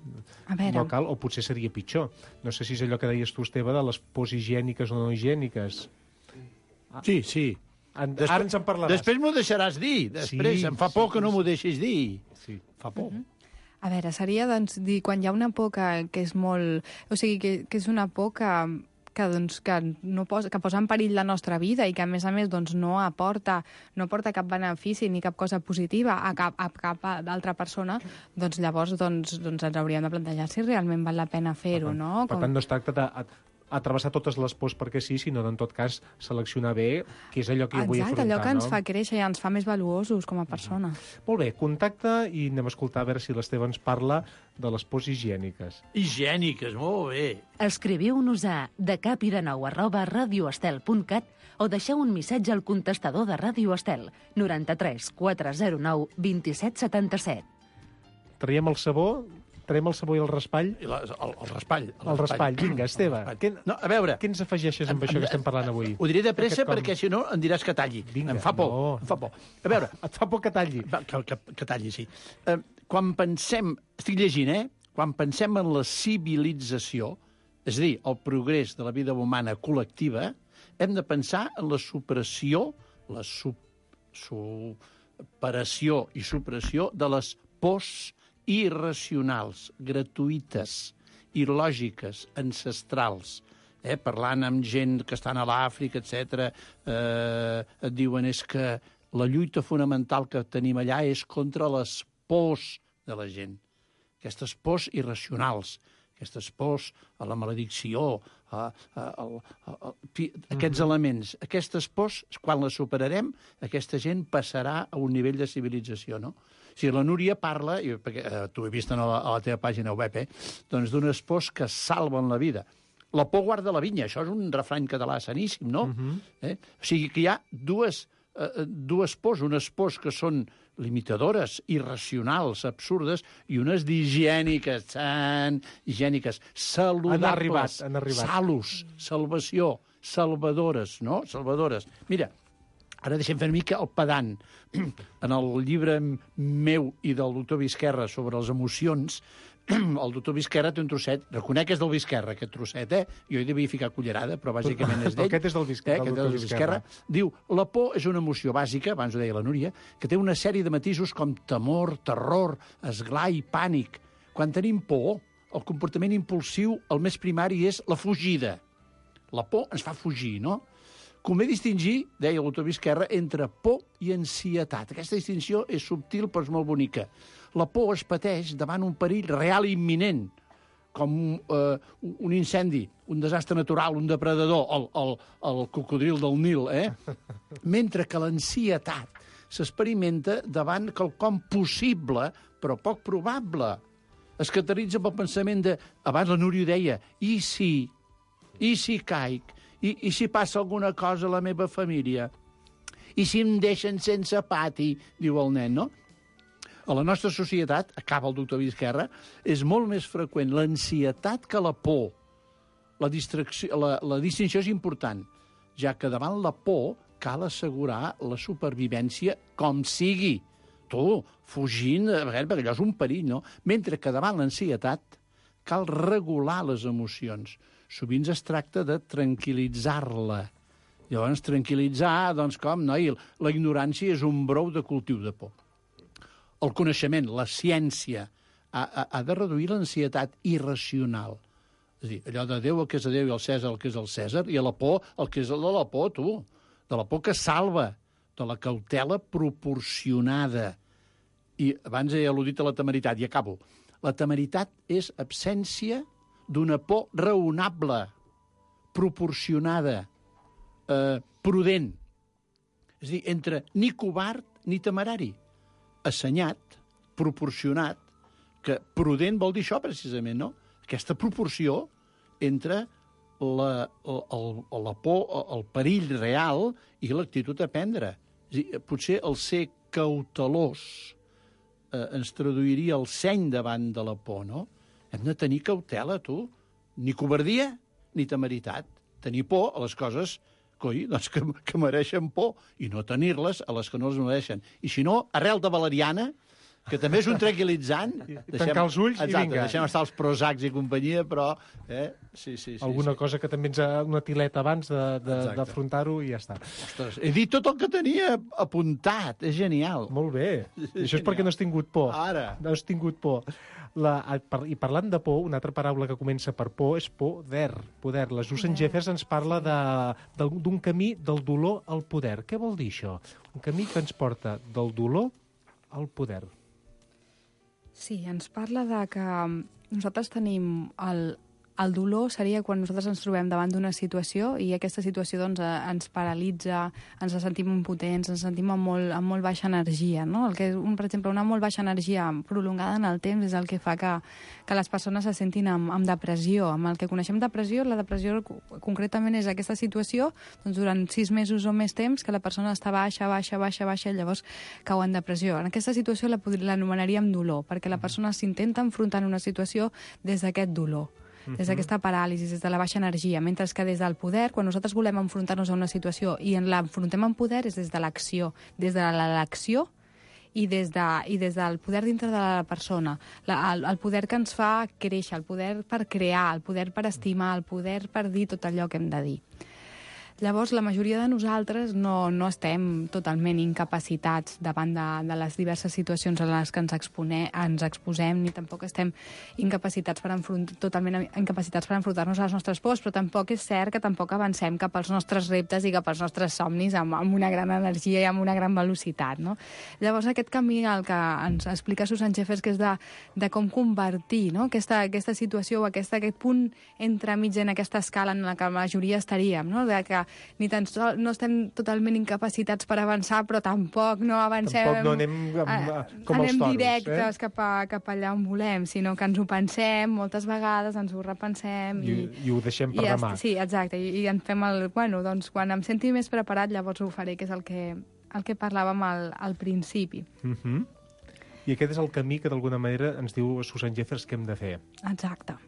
[SPEAKER 11] A veure.
[SPEAKER 9] no cal, o potser seria pitjor. No sé si és allò que deies tu, Esteve, de les pors higièniques o no higièniques.
[SPEAKER 10] Sí, sí.
[SPEAKER 9] En,
[SPEAKER 10] Després,
[SPEAKER 9] ara ens en parlaràs.
[SPEAKER 10] Després m'ho deixaràs dir. Després,
[SPEAKER 9] Sí,
[SPEAKER 10] em fa por
[SPEAKER 9] sí,
[SPEAKER 10] que no
[SPEAKER 9] sí.
[SPEAKER 10] m'ho deixis dir.
[SPEAKER 9] Sí, fa por.
[SPEAKER 11] Uh -huh. A veure, seria doncs, dir, quan hi ha una por que, que és molt... O sigui, que, que és una por que, que, doncs, que, no posa, que posa en perill la nostra vida i que, a més a més, doncs, no aporta no aporta cap benefici ni cap cosa positiva a cap, a cap altra persona, doncs llavors doncs, doncs ens hauríem de plantejar si realment val la pena fer-ho, no?
[SPEAKER 9] Per tant, no es tracta de a travessar totes les pors perquè sí, sinó en tot cas seleccionar bé què és allò que jo vull
[SPEAKER 11] Exacte,
[SPEAKER 9] afrontar.
[SPEAKER 11] allò que ens
[SPEAKER 9] no?
[SPEAKER 11] fa créixer i ens fa més valuosos com a persona.
[SPEAKER 9] Molt bé, contacte i anem a escoltar a veure si l'Esteve ens parla de les pors higièniques.
[SPEAKER 10] Higièniques, molt bé.
[SPEAKER 4] Escriviu-nos a decapidenou arroba radioestel punt cat o deixeu un missatge al contestador de Ràdio Estel, noranta-tres quatre zero nou vint set setanta set.
[SPEAKER 9] Traiem el sabó Traiem el sabó i el raspall?
[SPEAKER 10] El, el, el raspall. El,
[SPEAKER 9] el raspall. Vinga, Esteve, què,
[SPEAKER 10] no, a veure,
[SPEAKER 9] què ens afegeixes amb això que estem parlant avui?
[SPEAKER 10] Ho diré de pressa perquè, si no, em diràs que talli.
[SPEAKER 9] Vinga,
[SPEAKER 10] em fa por,
[SPEAKER 9] no.
[SPEAKER 10] em fa por. A veure...
[SPEAKER 9] Et fa por que talli?
[SPEAKER 10] Va, que, que, que talli, sí. Eh, quan pensem... Estic llegint, eh? Quan pensem en la civilització, és a dir, el progrés de la vida humana col·lectiva, hem de pensar en la supressió, la su, superació i supressió de les pors irracionals, gratuïtes, il·lògiques, ancestrals. Eh, parlant amb gent que estan a l'Àfrica, etcètera, eh, et diuen és que la lluita fonamental que tenim allà és contra les pors de la gent. Aquestes pors irracionals, aquestes pors a la maledicció, a, a, a, a, a, aquests mm-hmm. elements, aquestes pors, quan les superarem, aquesta gent passarà a un nivell de civilització, no? O sigui, la Núria parla, i, perquè eh, t'ho he vist a la, a la teva pàgina web, eh, doncs d'unes pors que salven la vida. La por guarda la vinya, això és un refrany català saníssim, no? Uh-huh. eh? O sigui que hi ha dues, eh, dues pors, unes pors que són limitadores, irracionals, absurdes, i unes d'higièniques, tan higièniques, saludables.
[SPEAKER 9] Han arribat, han arribat.
[SPEAKER 10] Salus, salvació, salvadores, no? Salvadores. Mira, ara deixem fer una mica el pedant. En el llibre meu i del doctor Visquerra sobre les emocions, el doctor Visquerra té un trosset, reconec que és del Visquerra, aquest trosset, eh? Jo hi devia ficar cullerada, però bàsicament és d'ell.
[SPEAKER 9] Aquest és del Visquerra,
[SPEAKER 10] eh? Aquest és del Visquerra. Diu, la por és una emoció bàsica, abans ho deia la Núria, que té una sèrie de matisos com temor, terror, esglai, pànic. Quan tenim por, el comportament impulsiu, el més primari, és la fugida. La por ens fa fugir, no? Convé distingir, deia el doctor Visquerra, entre por i ansietat. Aquesta distinció és subtil però és molt bonica. La por es pateix davant un perill real i imminent, com eh, un incendi, un desastre natural, un depredador, el, el, el cocodril del Nil, eh? Mentre que l'ansietat s'experimenta davant quelcom possible, però poc probable. Es caracteritza pel pensament de... Abans la Núria deia, i si, i si caic, i, i si passa alguna cosa a la meva família, i si em deixen sense pati, diu el nen, no? A la nostra societat, acaba el doctor Visquerra, és molt més freqüent l'ansietat que la por. La, distracció, la, la distinció és important, ja que davant la por cal assegurar la supervivència com sigui. Tu, fugint, perquè allò és un perill, no? Mentre que davant l'ansietat cal regular les emocions. Sovint es tracta de tranquil·litzar-la. Llavors, tranquil·litzar, doncs com, noi, la ignorància és un brou de cultiu de por. El coneixement, la ciència, ha, ha, ha de reduir l'ansietat irracional. És a dir, allò de Déu el que és de Déu i el Cèsar el que és el Cèsar, i a la por el que és de la por, tu. De la por que salva, de la cautela proporcionada. I abans he al·ludit a la temeritat, i acabo. La temeritat és absència d'una por raonable, proporcionada, eh, prudent. És a dir, entre ni covard ni temerari. Assenyat, proporcionat, que prudent vol dir això, precisament, no? Aquesta proporció entre la, el, la por, el perill real i l'actitud a prendre. És a dir, potser el ser cautelós eh, ens traduiria el seny davant de la por, no? Hem de tenir cautela, tu. Ni covardia ni temeritat. Tenir por a les coses coi, doncs que, que mereixen por, i no tenir-les a les que no les mereixen. I si no, arrel de valeriana, que també és un tranquil·litzant.
[SPEAKER 9] Deixem, tancar els ulls
[SPEAKER 10] exacte,
[SPEAKER 9] i vinga.
[SPEAKER 10] Deixem estar els Prozacs i companyia, però... Eh? Sí, sí, sí,
[SPEAKER 9] Alguna
[SPEAKER 10] sí.
[SPEAKER 9] cosa que també ens ha una tileta abans d'afrontar-ho i ja està.
[SPEAKER 10] Ostres, he dit tot el que tenia apuntat, és genial.
[SPEAKER 9] Molt bé. I això és perquè no has tingut por.
[SPEAKER 10] Ara.
[SPEAKER 9] No has tingut por. La, I parlant de por, una altra paraula que comença per por és poder. poder. La Susan Jeffers ens parla d'un camí del dolor al poder. Què vol dir això? Un camí que ens porta del dolor al poder.
[SPEAKER 11] Sí, ens parla de que nosaltres tenim el, el dolor seria quan nosaltres ens trobem davant d'una situació i aquesta situació doncs, ens paralitza, ens sentim impotents, ens sentim amb molt, amb molt baixa energia. No? El que, un, per exemple, una molt baixa energia prolongada en el temps és el que fa que, que les persones se sentin amb, amb depressió. Amb el que coneixem depressió, la depressió concretament és aquesta situació doncs, durant sis mesos o més temps que la persona està baixa, baixa, baixa, baixa i llavors cau en depressió. En aquesta situació l'anomenaríem dolor, perquè la persona s'intenta enfrontar en una situació des d'aquest dolor, des d'aquesta paràlisi, des de la baixa energia, mentre que des del poder, quan nosaltres volem enfrontar-nos a una situació i en l'enfrontem amb poder, és des de l'acció, des de l'elecció i des, de, i des del poder dintre de la persona, la, el, el poder que ens fa créixer, el poder per crear, el poder per estimar, el poder per dir tot allò que hem de dir. Llavors, la majoria de nosaltres no, no estem totalment incapacitats davant de, de les diverses situacions en les que ens, expone, ens exposem, ni tampoc estem incapacitats per enfront, totalment incapacitats per enfrontar-nos a les nostres pors, però tampoc és cert que tampoc avancem cap als nostres reptes i cap als nostres somnis amb, amb una gran energia i amb una gran velocitat. No? Llavors, aquest camí el que ens explica Susan Jeffers, que és de, de com convertir, no? aquesta, aquesta situació o aquesta, aquest punt entremig en aquesta escala en la que la majoria estaríem, no? De que ni tan sol, no estem totalment incapacitats per avançar, però tampoc no avancem...
[SPEAKER 9] Tampoc no anem amb, com
[SPEAKER 11] anem
[SPEAKER 9] els toros,
[SPEAKER 11] directes
[SPEAKER 9] eh?
[SPEAKER 11] cap, a, cap allà on volem, sinó que ens ho pensem moltes vegades, ens ho repensem...
[SPEAKER 9] I, i, i ho deixem per
[SPEAKER 11] i
[SPEAKER 9] demà.
[SPEAKER 11] Sí, exacte, i, i en fem el... Bueno, doncs quan em senti més preparat, llavors ho faré, que és el que, el que parlàvem al, al principi.
[SPEAKER 9] Uh -huh. I aquest és el camí que d'alguna manera ens diu Susan Jeffers que hem de fer.
[SPEAKER 11] Exacte.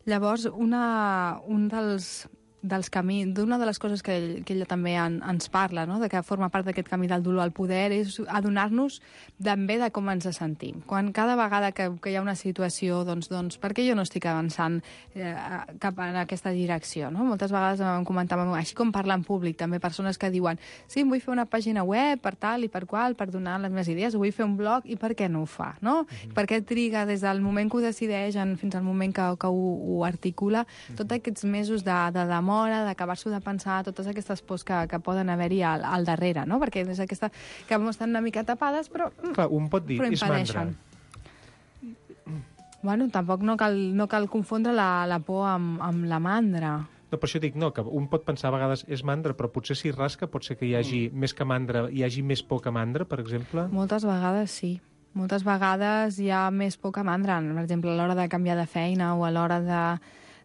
[SPEAKER 11] Llavors, una, un dels... dels camins, d'una de les coses que, ell, que ella també en, ens parla, no? De que forma part d'aquest camí del dolor al poder, és adonar-nos també de com ens sentim. Quan cada vegada que, que hi ha una situació, doncs, doncs per què jo no estic avançant eh, cap en aquesta direcció? No? Moltes vegades em comentàvem, així com parla en públic, també persones que diuen sí, em vull fer una pàgina web per tal i per qual, per donar les meves idees, vull fer un blog, i per què no ho fa? No? Mm-hmm. Per què triga des del moment que ho decideix en, fins al moment que, que ho, ho articula, mm-hmm. tots aquests mesos de, de demora, d'acabar-s'ho de pensar, totes aquestes pors que, que poden haver-hi al, al darrere, no? Perquè és aquesta que estan una mica tapades, però...
[SPEAKER 9] Clar, un pot dir, és mandra.
[SPEAKER 11] Bueno, tampoc no cal, no cal confondre la, la por amb, amb la mandra.
[SPEAKER 9] No, per això dic, no, que un pot pensar a vegades és mandra, però potser si rasca pot ser que hi hagi mm. més que mandra, hi hagi més por que mandra, per exemple?
[SPEAKER 11] Moltes vegades sí. Moltes vegades hi ha més por que mandra. Per exemple, a l'hora de canviar de feina o a l'hora de...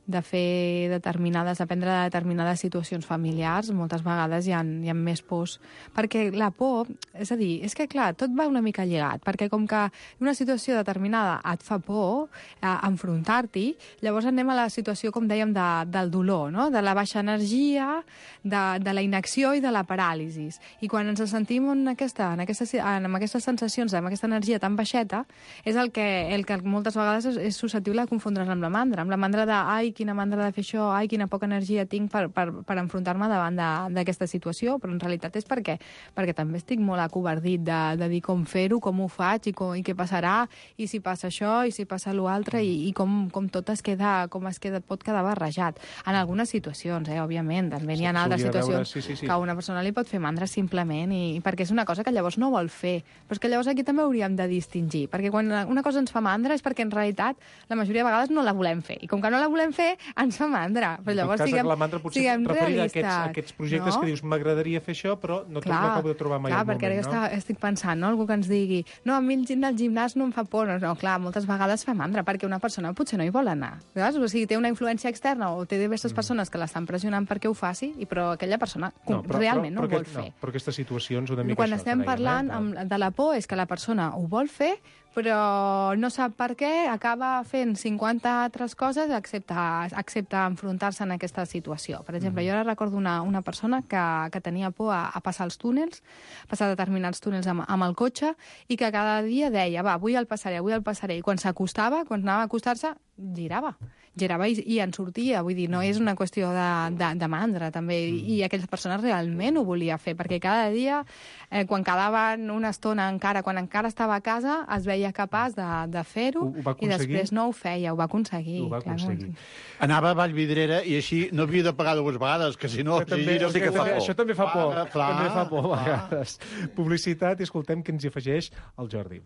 [SPEAKER 11] de fer determinades, aprendre de determinades situacions familiars, moltes vegades hi ha, hi ha més pors. Perquè la por, és a dir, és que clar, tot va una mica lligat, perquè com que una situació determinada et fa por eh, enfrontar-t'hi, llavors anem a la situació, com dèiem, de, del dolor, no? De la baixa energia, de, de la inacció i de la paràlisi. I quan ens sentim en, aquesta, en, aquesta, en aquestes sensacions, amb aquesta energia tan baixeta, és el que, el que moltes vegades és, és susceptible de confondre's amb la mandra, amb la mandra de, ai, quina mandra de fer això, ai, quina poca energia tinc per, per, per enfrontar-me davant d'aquesta situació, però en realitat és perquè, perquè també estic molt acovardit de, de dir com fer-ho, com ho faig i, com, i què passarà, i si passa això, i si passa l'altre, i, i com, com tot es queda, com es queda, pot quedar barrejat. En algunes situacions, eh, òbviament, també n'hi ha altres situacions
[SPEAKER 9] sí, sí, sí.
[SPEAKER 11] que a una persona li pot fer mandra simplement, i, i perquè és una cosa que llavors no vol fer. Però és que llavors aquí també hauríem de distingir, perquè quan una cosa ens fa mandra és perquè en realitat la majoria de vegades no la volem fer, i com que no la volem fer, ens fa mandra. Però llavors siguem,
[SPEAKER 9] la mandra potser
[SPEAKER 11] siguem realistes.
[SPEAKER 9] Aquests, aquests projectes, no? Que dius, m'agradaria fer això, però no
[SPEAKER 11] clar,
[SPEAKER 9] no acabo de trobar mai
[SPEAKER 11] clar,
[SPEAKER 9] el moment,
[SPEAKER 11] perquè
[SPEAKER 9] no?
[SPEAKER 11] Està, estic pensant, no? Algú que ens digui, no, a mi el gimnàs no em fa por. No, no, clar, moltes vegades fa mandra, perquè una persona potser no hi vol anar. Saps? O sigui, té una influència externa o té diverses mm. persones que l'estan pressionant perquè ho faci, i però aquella persona no, però, realment
[SPEAKER 9] però,
[SPEAKER 11] no ho vol
[SPEAKER 9] aquest,
[SPEAKER 11] fer.
[SPEAKER 9] No, però aquestes situacions una mica
[SPEAKER 11] Quan
[SPEAKER 9] això,
[SPEAKER 11] estem
[SPEAKER 9] dèiem,
[SPEAKER 11] parlant
[SPEAKER 9] eh?
[SPEAKER 11] amb, de la por és que la persona ho vol fer, però no sap per què, acaba fent cinquanta altres coses excepte, excepte enfrontar-se en aquesta situació. Per exemple, mm. jo ara recordo una, una persona que, que tenia por a, a passar els túnels, passar determinats túnels amb, amb el cotxe, i que cada dia deia, va, avui el passaré, avui el passaré, i quan s'acostava, quan anava a acostar-se, girava. girava i, i en sortia, vull dir, no és una qüestió de, de, de mandra, també, mm. i aquella persona realment ho volia fer, perquè cada dia, eh, quan quedaven una estona encara, quan encara estava a casa, es veia capaç de, de fer-ho, i després no ho feia, ho va aconseguir.
[SPEAKER 9] Ho va aconseguir.
[SPEAKER 11] Clar,
[SPEAKER 10] anava a Vallvidrera i així no havia de pagar dues vegades, que si no...
[SPEAKER 9] Això també,
[SPEAKER 10] si
[SPEAKER 9] sí que fa por. Això també fa por,
[SPEAKER 10] ah, clar,
[SPEAKER 9] també fa por a vegades. Publicitat, i escoltem què ens hi afegeix el Jordi.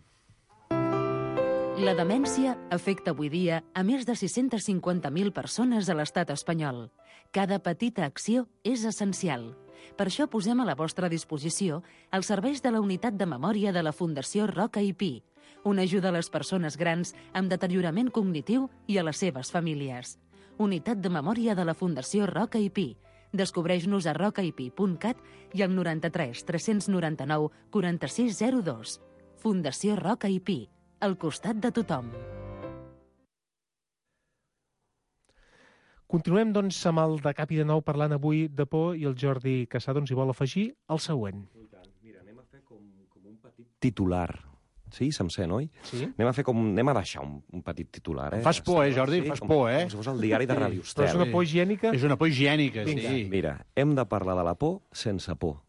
[SPEAKER 4] La demència afecta avui dia a més de sis-centes cinquanta mil persones a l'estat espanyol. Cada petita acció és essencial. Per això posem a la vostra disposició els serveis de la Unitat de Memòria de la Fundació Roca i Pi, una ajuda a les persones grans amb deteriorament cognitiu i a les seves famílies. Unitat de Memòria de la Fundació Roca i Pi. Descobreix-nos a rocaipi punt cat i al noranta-tres tres-cents noranta-nou quaranta-sis zero dos. Fundació Roca i Pi, al costat de tothom.
[SPEAKER 9] Continuem, doncs, amb el de Cap i de Nou parlant avui de por i el Jordi Cassà doncs, hi vol afegir el següent.
[SPEAKER 12] Mira, anem a fer com, com un petit titular. Sí, se'm sent, oi?
[SPEAKER 9] Sí.
[SPEAKER 12] Anem a fer com... Anem a deixar un, un petit titular, eh?
[SPEAKER 10] Fas por, eh, Jordi?
[SPEAKER 12] Sí,
[SPEAKER 10] Fas
[SPEAKER 12] com,
[SPEAKER 10] por, eh?
[SPEAKER 12] Com si fos el diari de Ràdio Estel.
[SPEAKER 9] Però és una por higiènica?
[SPEAKER 10] És una por higiènica,
[SPEAKER 12] Vinga.
[SPEAKER 10] sí.
[SPEAKER 12] Mira, hem de parlar de la por sense por.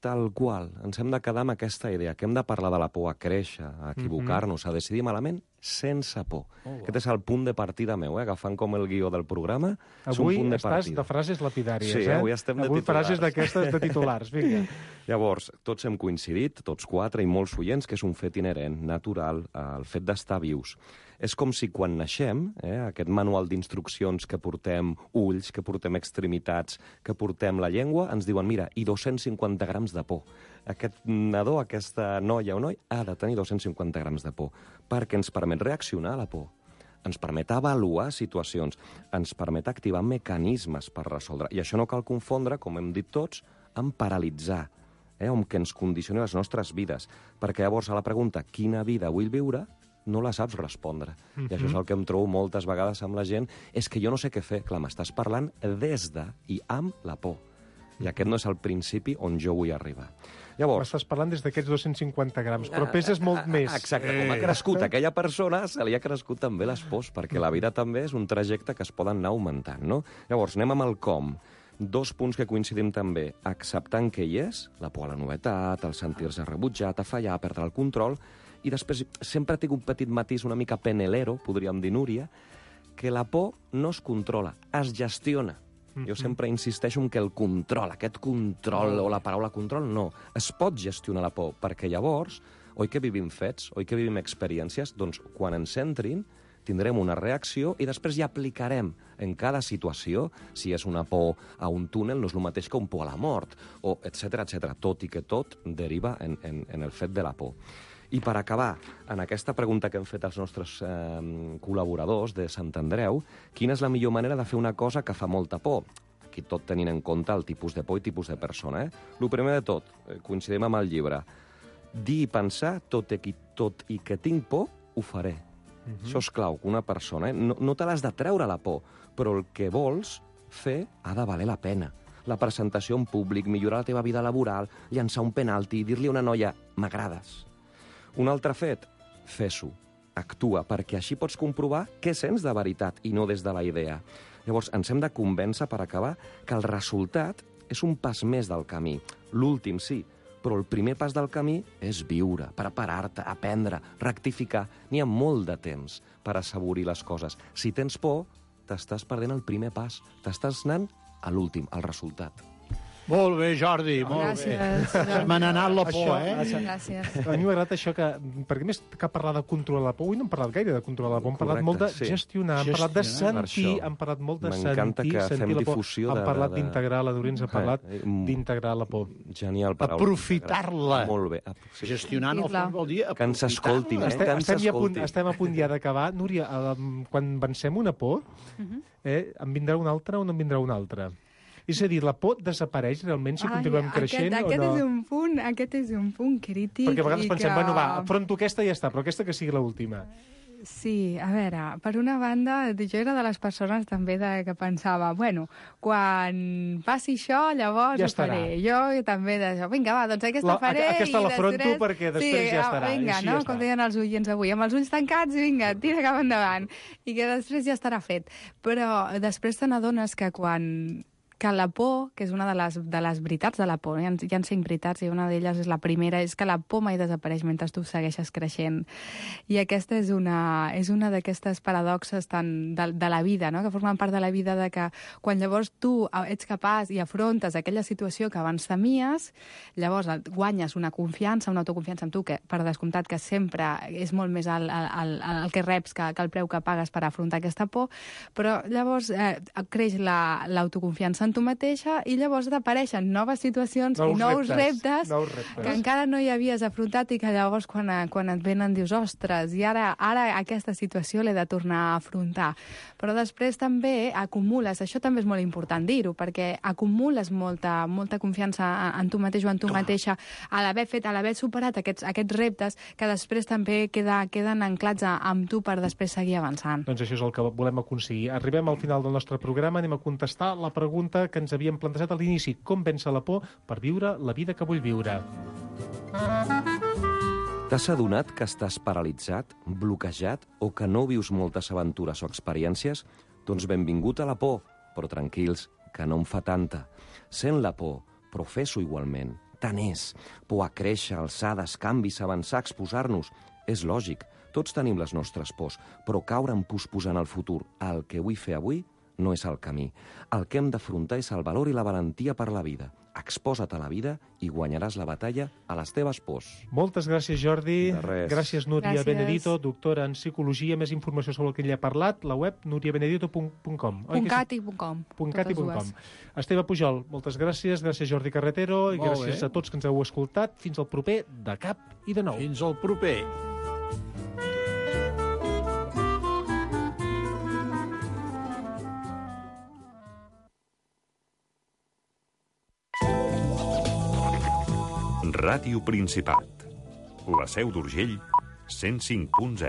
[SPEAKER 12] Tal qual. Ens hem de quedar amb aquesta idea, que hem de parlar de la por a créixer, a equivocar-nos, mm -hmm. a decidir malament, sense por. Oh, Aquest és el punt de partida meu, eh? Agafant com el guió del programa, és un
[SPEAKER 9] avui
[SPEAKER 12] punt de
[SPEAKER 9] estàs
[SPEAKER 12] partida.
[SPEAKER 9] de frases lapidàries,
[SPEAKER 12] sí,
[SPEAKER 9] eh?
[SPEAKER 12] avui estem de
[SPEAKER 9] avui
[SPEAKER 12] titulars.
[SPEAKER 9] frases d'aquestes de titulars, vinga.
[SPEAKER 12] Llavors, tots hem coincidit, tots quatre i molts oients, que és un fet inherent, natural, el fet d'estar vius. És com si quan naixem, eh, aquest manual d'instruccions que portem ulls, que portem extremitats, que portem la llengua, ens diuen, mira, i dos-cents cinquanta grams de por. Aquest nadó, aquesta noia o noi, ha de tenir dos-cents cinquanta grams de por, perquè ens permet reaccionar a la por, ens permet avaluar situacions, ens permet activar mecanismes per resoldre. I això no cal confondre, com hem dit tots, amb paralitzar, eh, amb que ens condicioni les nostres vides. Perquè llavors a la pregunta, quina vida vull viure?, no la saps respondre. Mm-hmm. I això és el que em trobo moltes vegades amb la gent, és que jo no sé què fer. Clar, m'estàs parlant des de i amb la por. I aquest no és el principi on jo vull arribar. Llavors...
[SPEAKER 9] M'estàs parlant des d'aquests dos-cents cinquanta grams, però peses molt més.
[SPEAKER 12] Exacte, com ha crescut aquella persona, se li ha crescut també les pors, perquè la vida també és un trajecte que es poden anar augmentant, no? Llavors, anem amb el com. Dos punts que coincidim també. Acceptant que hi és, la por a la novetat, el sentir-se rebutjat, a fallar, a perdre el control, i després sempre tinc un petit matís una mica penelero, podríem dir, Núria, que la por no es controla, es gestiona. Mm-hmm. Jo sempre insisteixo en que el control, aquest control, o la paraula control, no. Es pot gestionar la por, perquè llavors, oi que vivim fets, oi que vivim experiències, doncs quan ens entrin, tindrem una reacció i després ja aplicarem en cada situació, si és una por a un túnel, no és el mateix que un por a la mort, o etcètera, etcètera, tot i que tot deriva en, en, en el fet de la por. I per acabar, en aquesta pregunta que hem fet als nostres eh, col·laboradors de Sant Andreu, quina és la millor manera de fer una cosa que fa molta por? Aquí tot tenint en compte el tipus de por i tipus de persona. Eh? El primer de tot, eh, coincidim amb el llibre, dir i pensar, tot i, tot i que tinc por, ho faré. Uh-huh. Això és clau, que una persona, eh? no, no te l'has de treure la por, però el que vols fer ha de valer la pena. La presentació en públic, millorar la teva vida laboral, llançar un penalti, dir-li a una noia, m'agrades. Un altre fet, fes-ho, actua, perquè així pots comprovar què sents de veritat i no des de la idea. Llavors, ens hem de convèncer, per acabar, que el resultat és un pas més del camí. L'últim, sí, però el primer pas del camí és viure, preparar-te, aprendre, rectificar. N'hi ha molt de temps per assaborir les coses. Si tens por, t'estàs perdent el primer pas. T'estàs anant a l'últim, al resultat.
[SPEAKER 10] Molt bé, Jordi, molt
[SPEAKER 11] Gràcies.
[SPEAKER 10] bé. Me n'ha anat la por,
[SPEAKER 9] Això,
[SPEAKER 10] eh?
[SPEAKER 9] això.
[SPEAKER 11] Gràcies.
[SPEAKER 9] A mi m'ha agradat això que, perquè més que parlar de controlar la por, avui no hem parlat gaire de controlar la por, hem parlat
[SPEAKER 12] Correcte,
[SPEAKER 9] molt de
[SPEAKER 12] sí.
[SPEAKER 9] gestionar, hem parlat de
[SPEAKER 12] Gestionar.
[SPEAKER 9] sentir,
[SPEAKER 12] Per això.
[SPEAKER 9] hem parlat molt de
[SPEAKER 12] M'encanta
[SPEAKER 9] sentir,
[SPEAKER 12] que
[SPEAKER 9] sentir
[SPEAKER 12] fem
[SPEAKER 9] la por.
[SPEAKER 12] difusió
[SPEAKER 9] Hem
[SPEAKER 12] de-
[SPEAKER 9] parlat
[SPEAKER 12] de-
[SPEAKER 9] d'integrar, la Dorins ha parlat
[SPEAKER 12] Eh, mm.
[SPEAKER 9] d'integrar la por.
[SPEAKER 12] Genial paraula.
[SPEAKER 10] Aprofitar-la.
[SPEAKER 12] Molt bé.
[SPEAKER 10] Sí. Gestionar, no,
[SPEAKER 11] Clar.
[SPEAKER 10] vol dir
[SPEAKER 12] Que ens escoltin, eh?
[SPEAKER 9] Estem,
[SPEAKER 12] Que ens
[SPEAKER 9] estem, ja a punt,
[SPEAKER 12] escoltin.
[SPEAKER 9] estem a punt ja d'acabar. Núria, eh, quan vencem una por, eh, en vindrà una altra o no en vindrà una altra? És a dir, la por desapareix realment si continuem creixent
[SPEAKER 11] aquest, aquest
[SPEAKER 9] o no?
[SPEAKER 11] És un punt, aquest és un punt crític.
[SPEAKER 9] Perquè a vegades
[SPEAKER 11] i
[SPEAKER 9] pensem,
[SPEAKER 11] que...
[SPEAKER 9] bueno, va, afronto aquesta i ja està, però aquesta que sigui l'última.
[SPEAKER 11] Sí, a veure, per una banda, jo era de les persones també de, que pensava, bueno, quan passi això, llavors
[SPEAKER 9] Ja
[SPEAKER 11] ho faré. Jo també d'això, vinga, va, doncs aquesta
[SPEAKER 9] La-
[SPEAKER 11] faré.
[SPEAKER 9] aquesta
[SPEAKER 11] i
[SPEAKER 9] l'afronto
[SPEAKER 11] després...
[SPEAKER 9] perquè després
[SPEAKER 11] sí,
[SPEAKER 9] ja estarà,
[SPEAKER 11] Vinga,
[SPEAKER 9] així
[SPEAKER 11] no?
[SPEAKER 9] ja està.
[SPEAKER 11] Com deien els oients avui, amb els ulls tancats, vinga, tira cap endavant. I que després ja estarà fet. Però després te n'adones que quan que la por, que és una de les, de les veritats de la por, hi ha, hi ha cinc veritats i una d'elles és la primera, és que la por mai desapareix mentre tu segueixes creixent. I aquesta és una, és una d'aquestes paradoxes tan de, de la vida, no? Que formen part de la vida, de que quan llavors tu ets capaç i afrontes aquella situació que abans temies, llavors guanyes una confiança, una autoconfiança en tu, que per descomptat que sempre és molt més el, el, el que reps que, que el preu que pagues per afrontar aquesta por, però llavors eh, creix l'autoconfiança la, en tu mateixa i llavors apareixen noves situacions nous i nous reptes, reptes, nous reptes que encara no hi havies afrontat i que llavors quan, quan et venen dius, ostres, i ara, ara aquesta situació l'he de tornar a afrontar. Però després també acumules, això també és molt important dir-ho, perquè acumules molta, molta confiança en tu mateix o en tu mateixa a l'haver fet, a l'haver superat aquests, aquests reptes que després també queda, queden anclats amb tu per després seguir avançant.
[SPEAKER 9] Doncs això és el que volem aconseguir. Arribem al final del nostre programa, anem a contestar la pregunta que ens havíem plantejat a l'inici. Com vèncer la por per viure la vida que vull viure?
[SPEAKER 12] T'has adonat que estàs paralitzat, bloquejat o que no vius moltes aventures o experiències? Doncs benvingut a la por, però tranquils, que no en fa tanta. Sent la por, però fes-ho igualment. Tant és. Por a créixer, alçades, canvis, avançar, exposar-nos. És lògic, tots tenim les nostres pors, però caure en posposant el futur, el que vull fer avui, no és el camí. El que hem d'afrontar és el valor i la valentia per la vida. Exposa't a la vida i guanyaràs la batalla a les teves pors.
[SPEAKER 9] Moltes gràcies, Jordi.
[SPEAKER 12] De res.
[SPEAKER 9] Gràcies, Núria
[SPEAKER 11] Gràcies.
[SPEAKER 9] Benedito, doctora en psicologia. Més informació sobre el que ell ha parlat, la web núria benedito punt com.
[SPEAKER 11] .cat i .com.
[SPEAKER 9] .cat i .com. Esteve Pujol, moltes gràcies. Gràcies, Jordi Carretero. I
[SPEAKER 10] Molt
[SPEAKER 9] gràcies
[SPEAKER 10] bé.
[SPEAKER 9] a tots que ens heu escoltat. Fins al proper De Cap i de Nou.
[SPEAKER 10] Fins al proper.
[SPEAKER 8] Ràdio Principat. La Seu d'Urgell, cent cinc punt zero.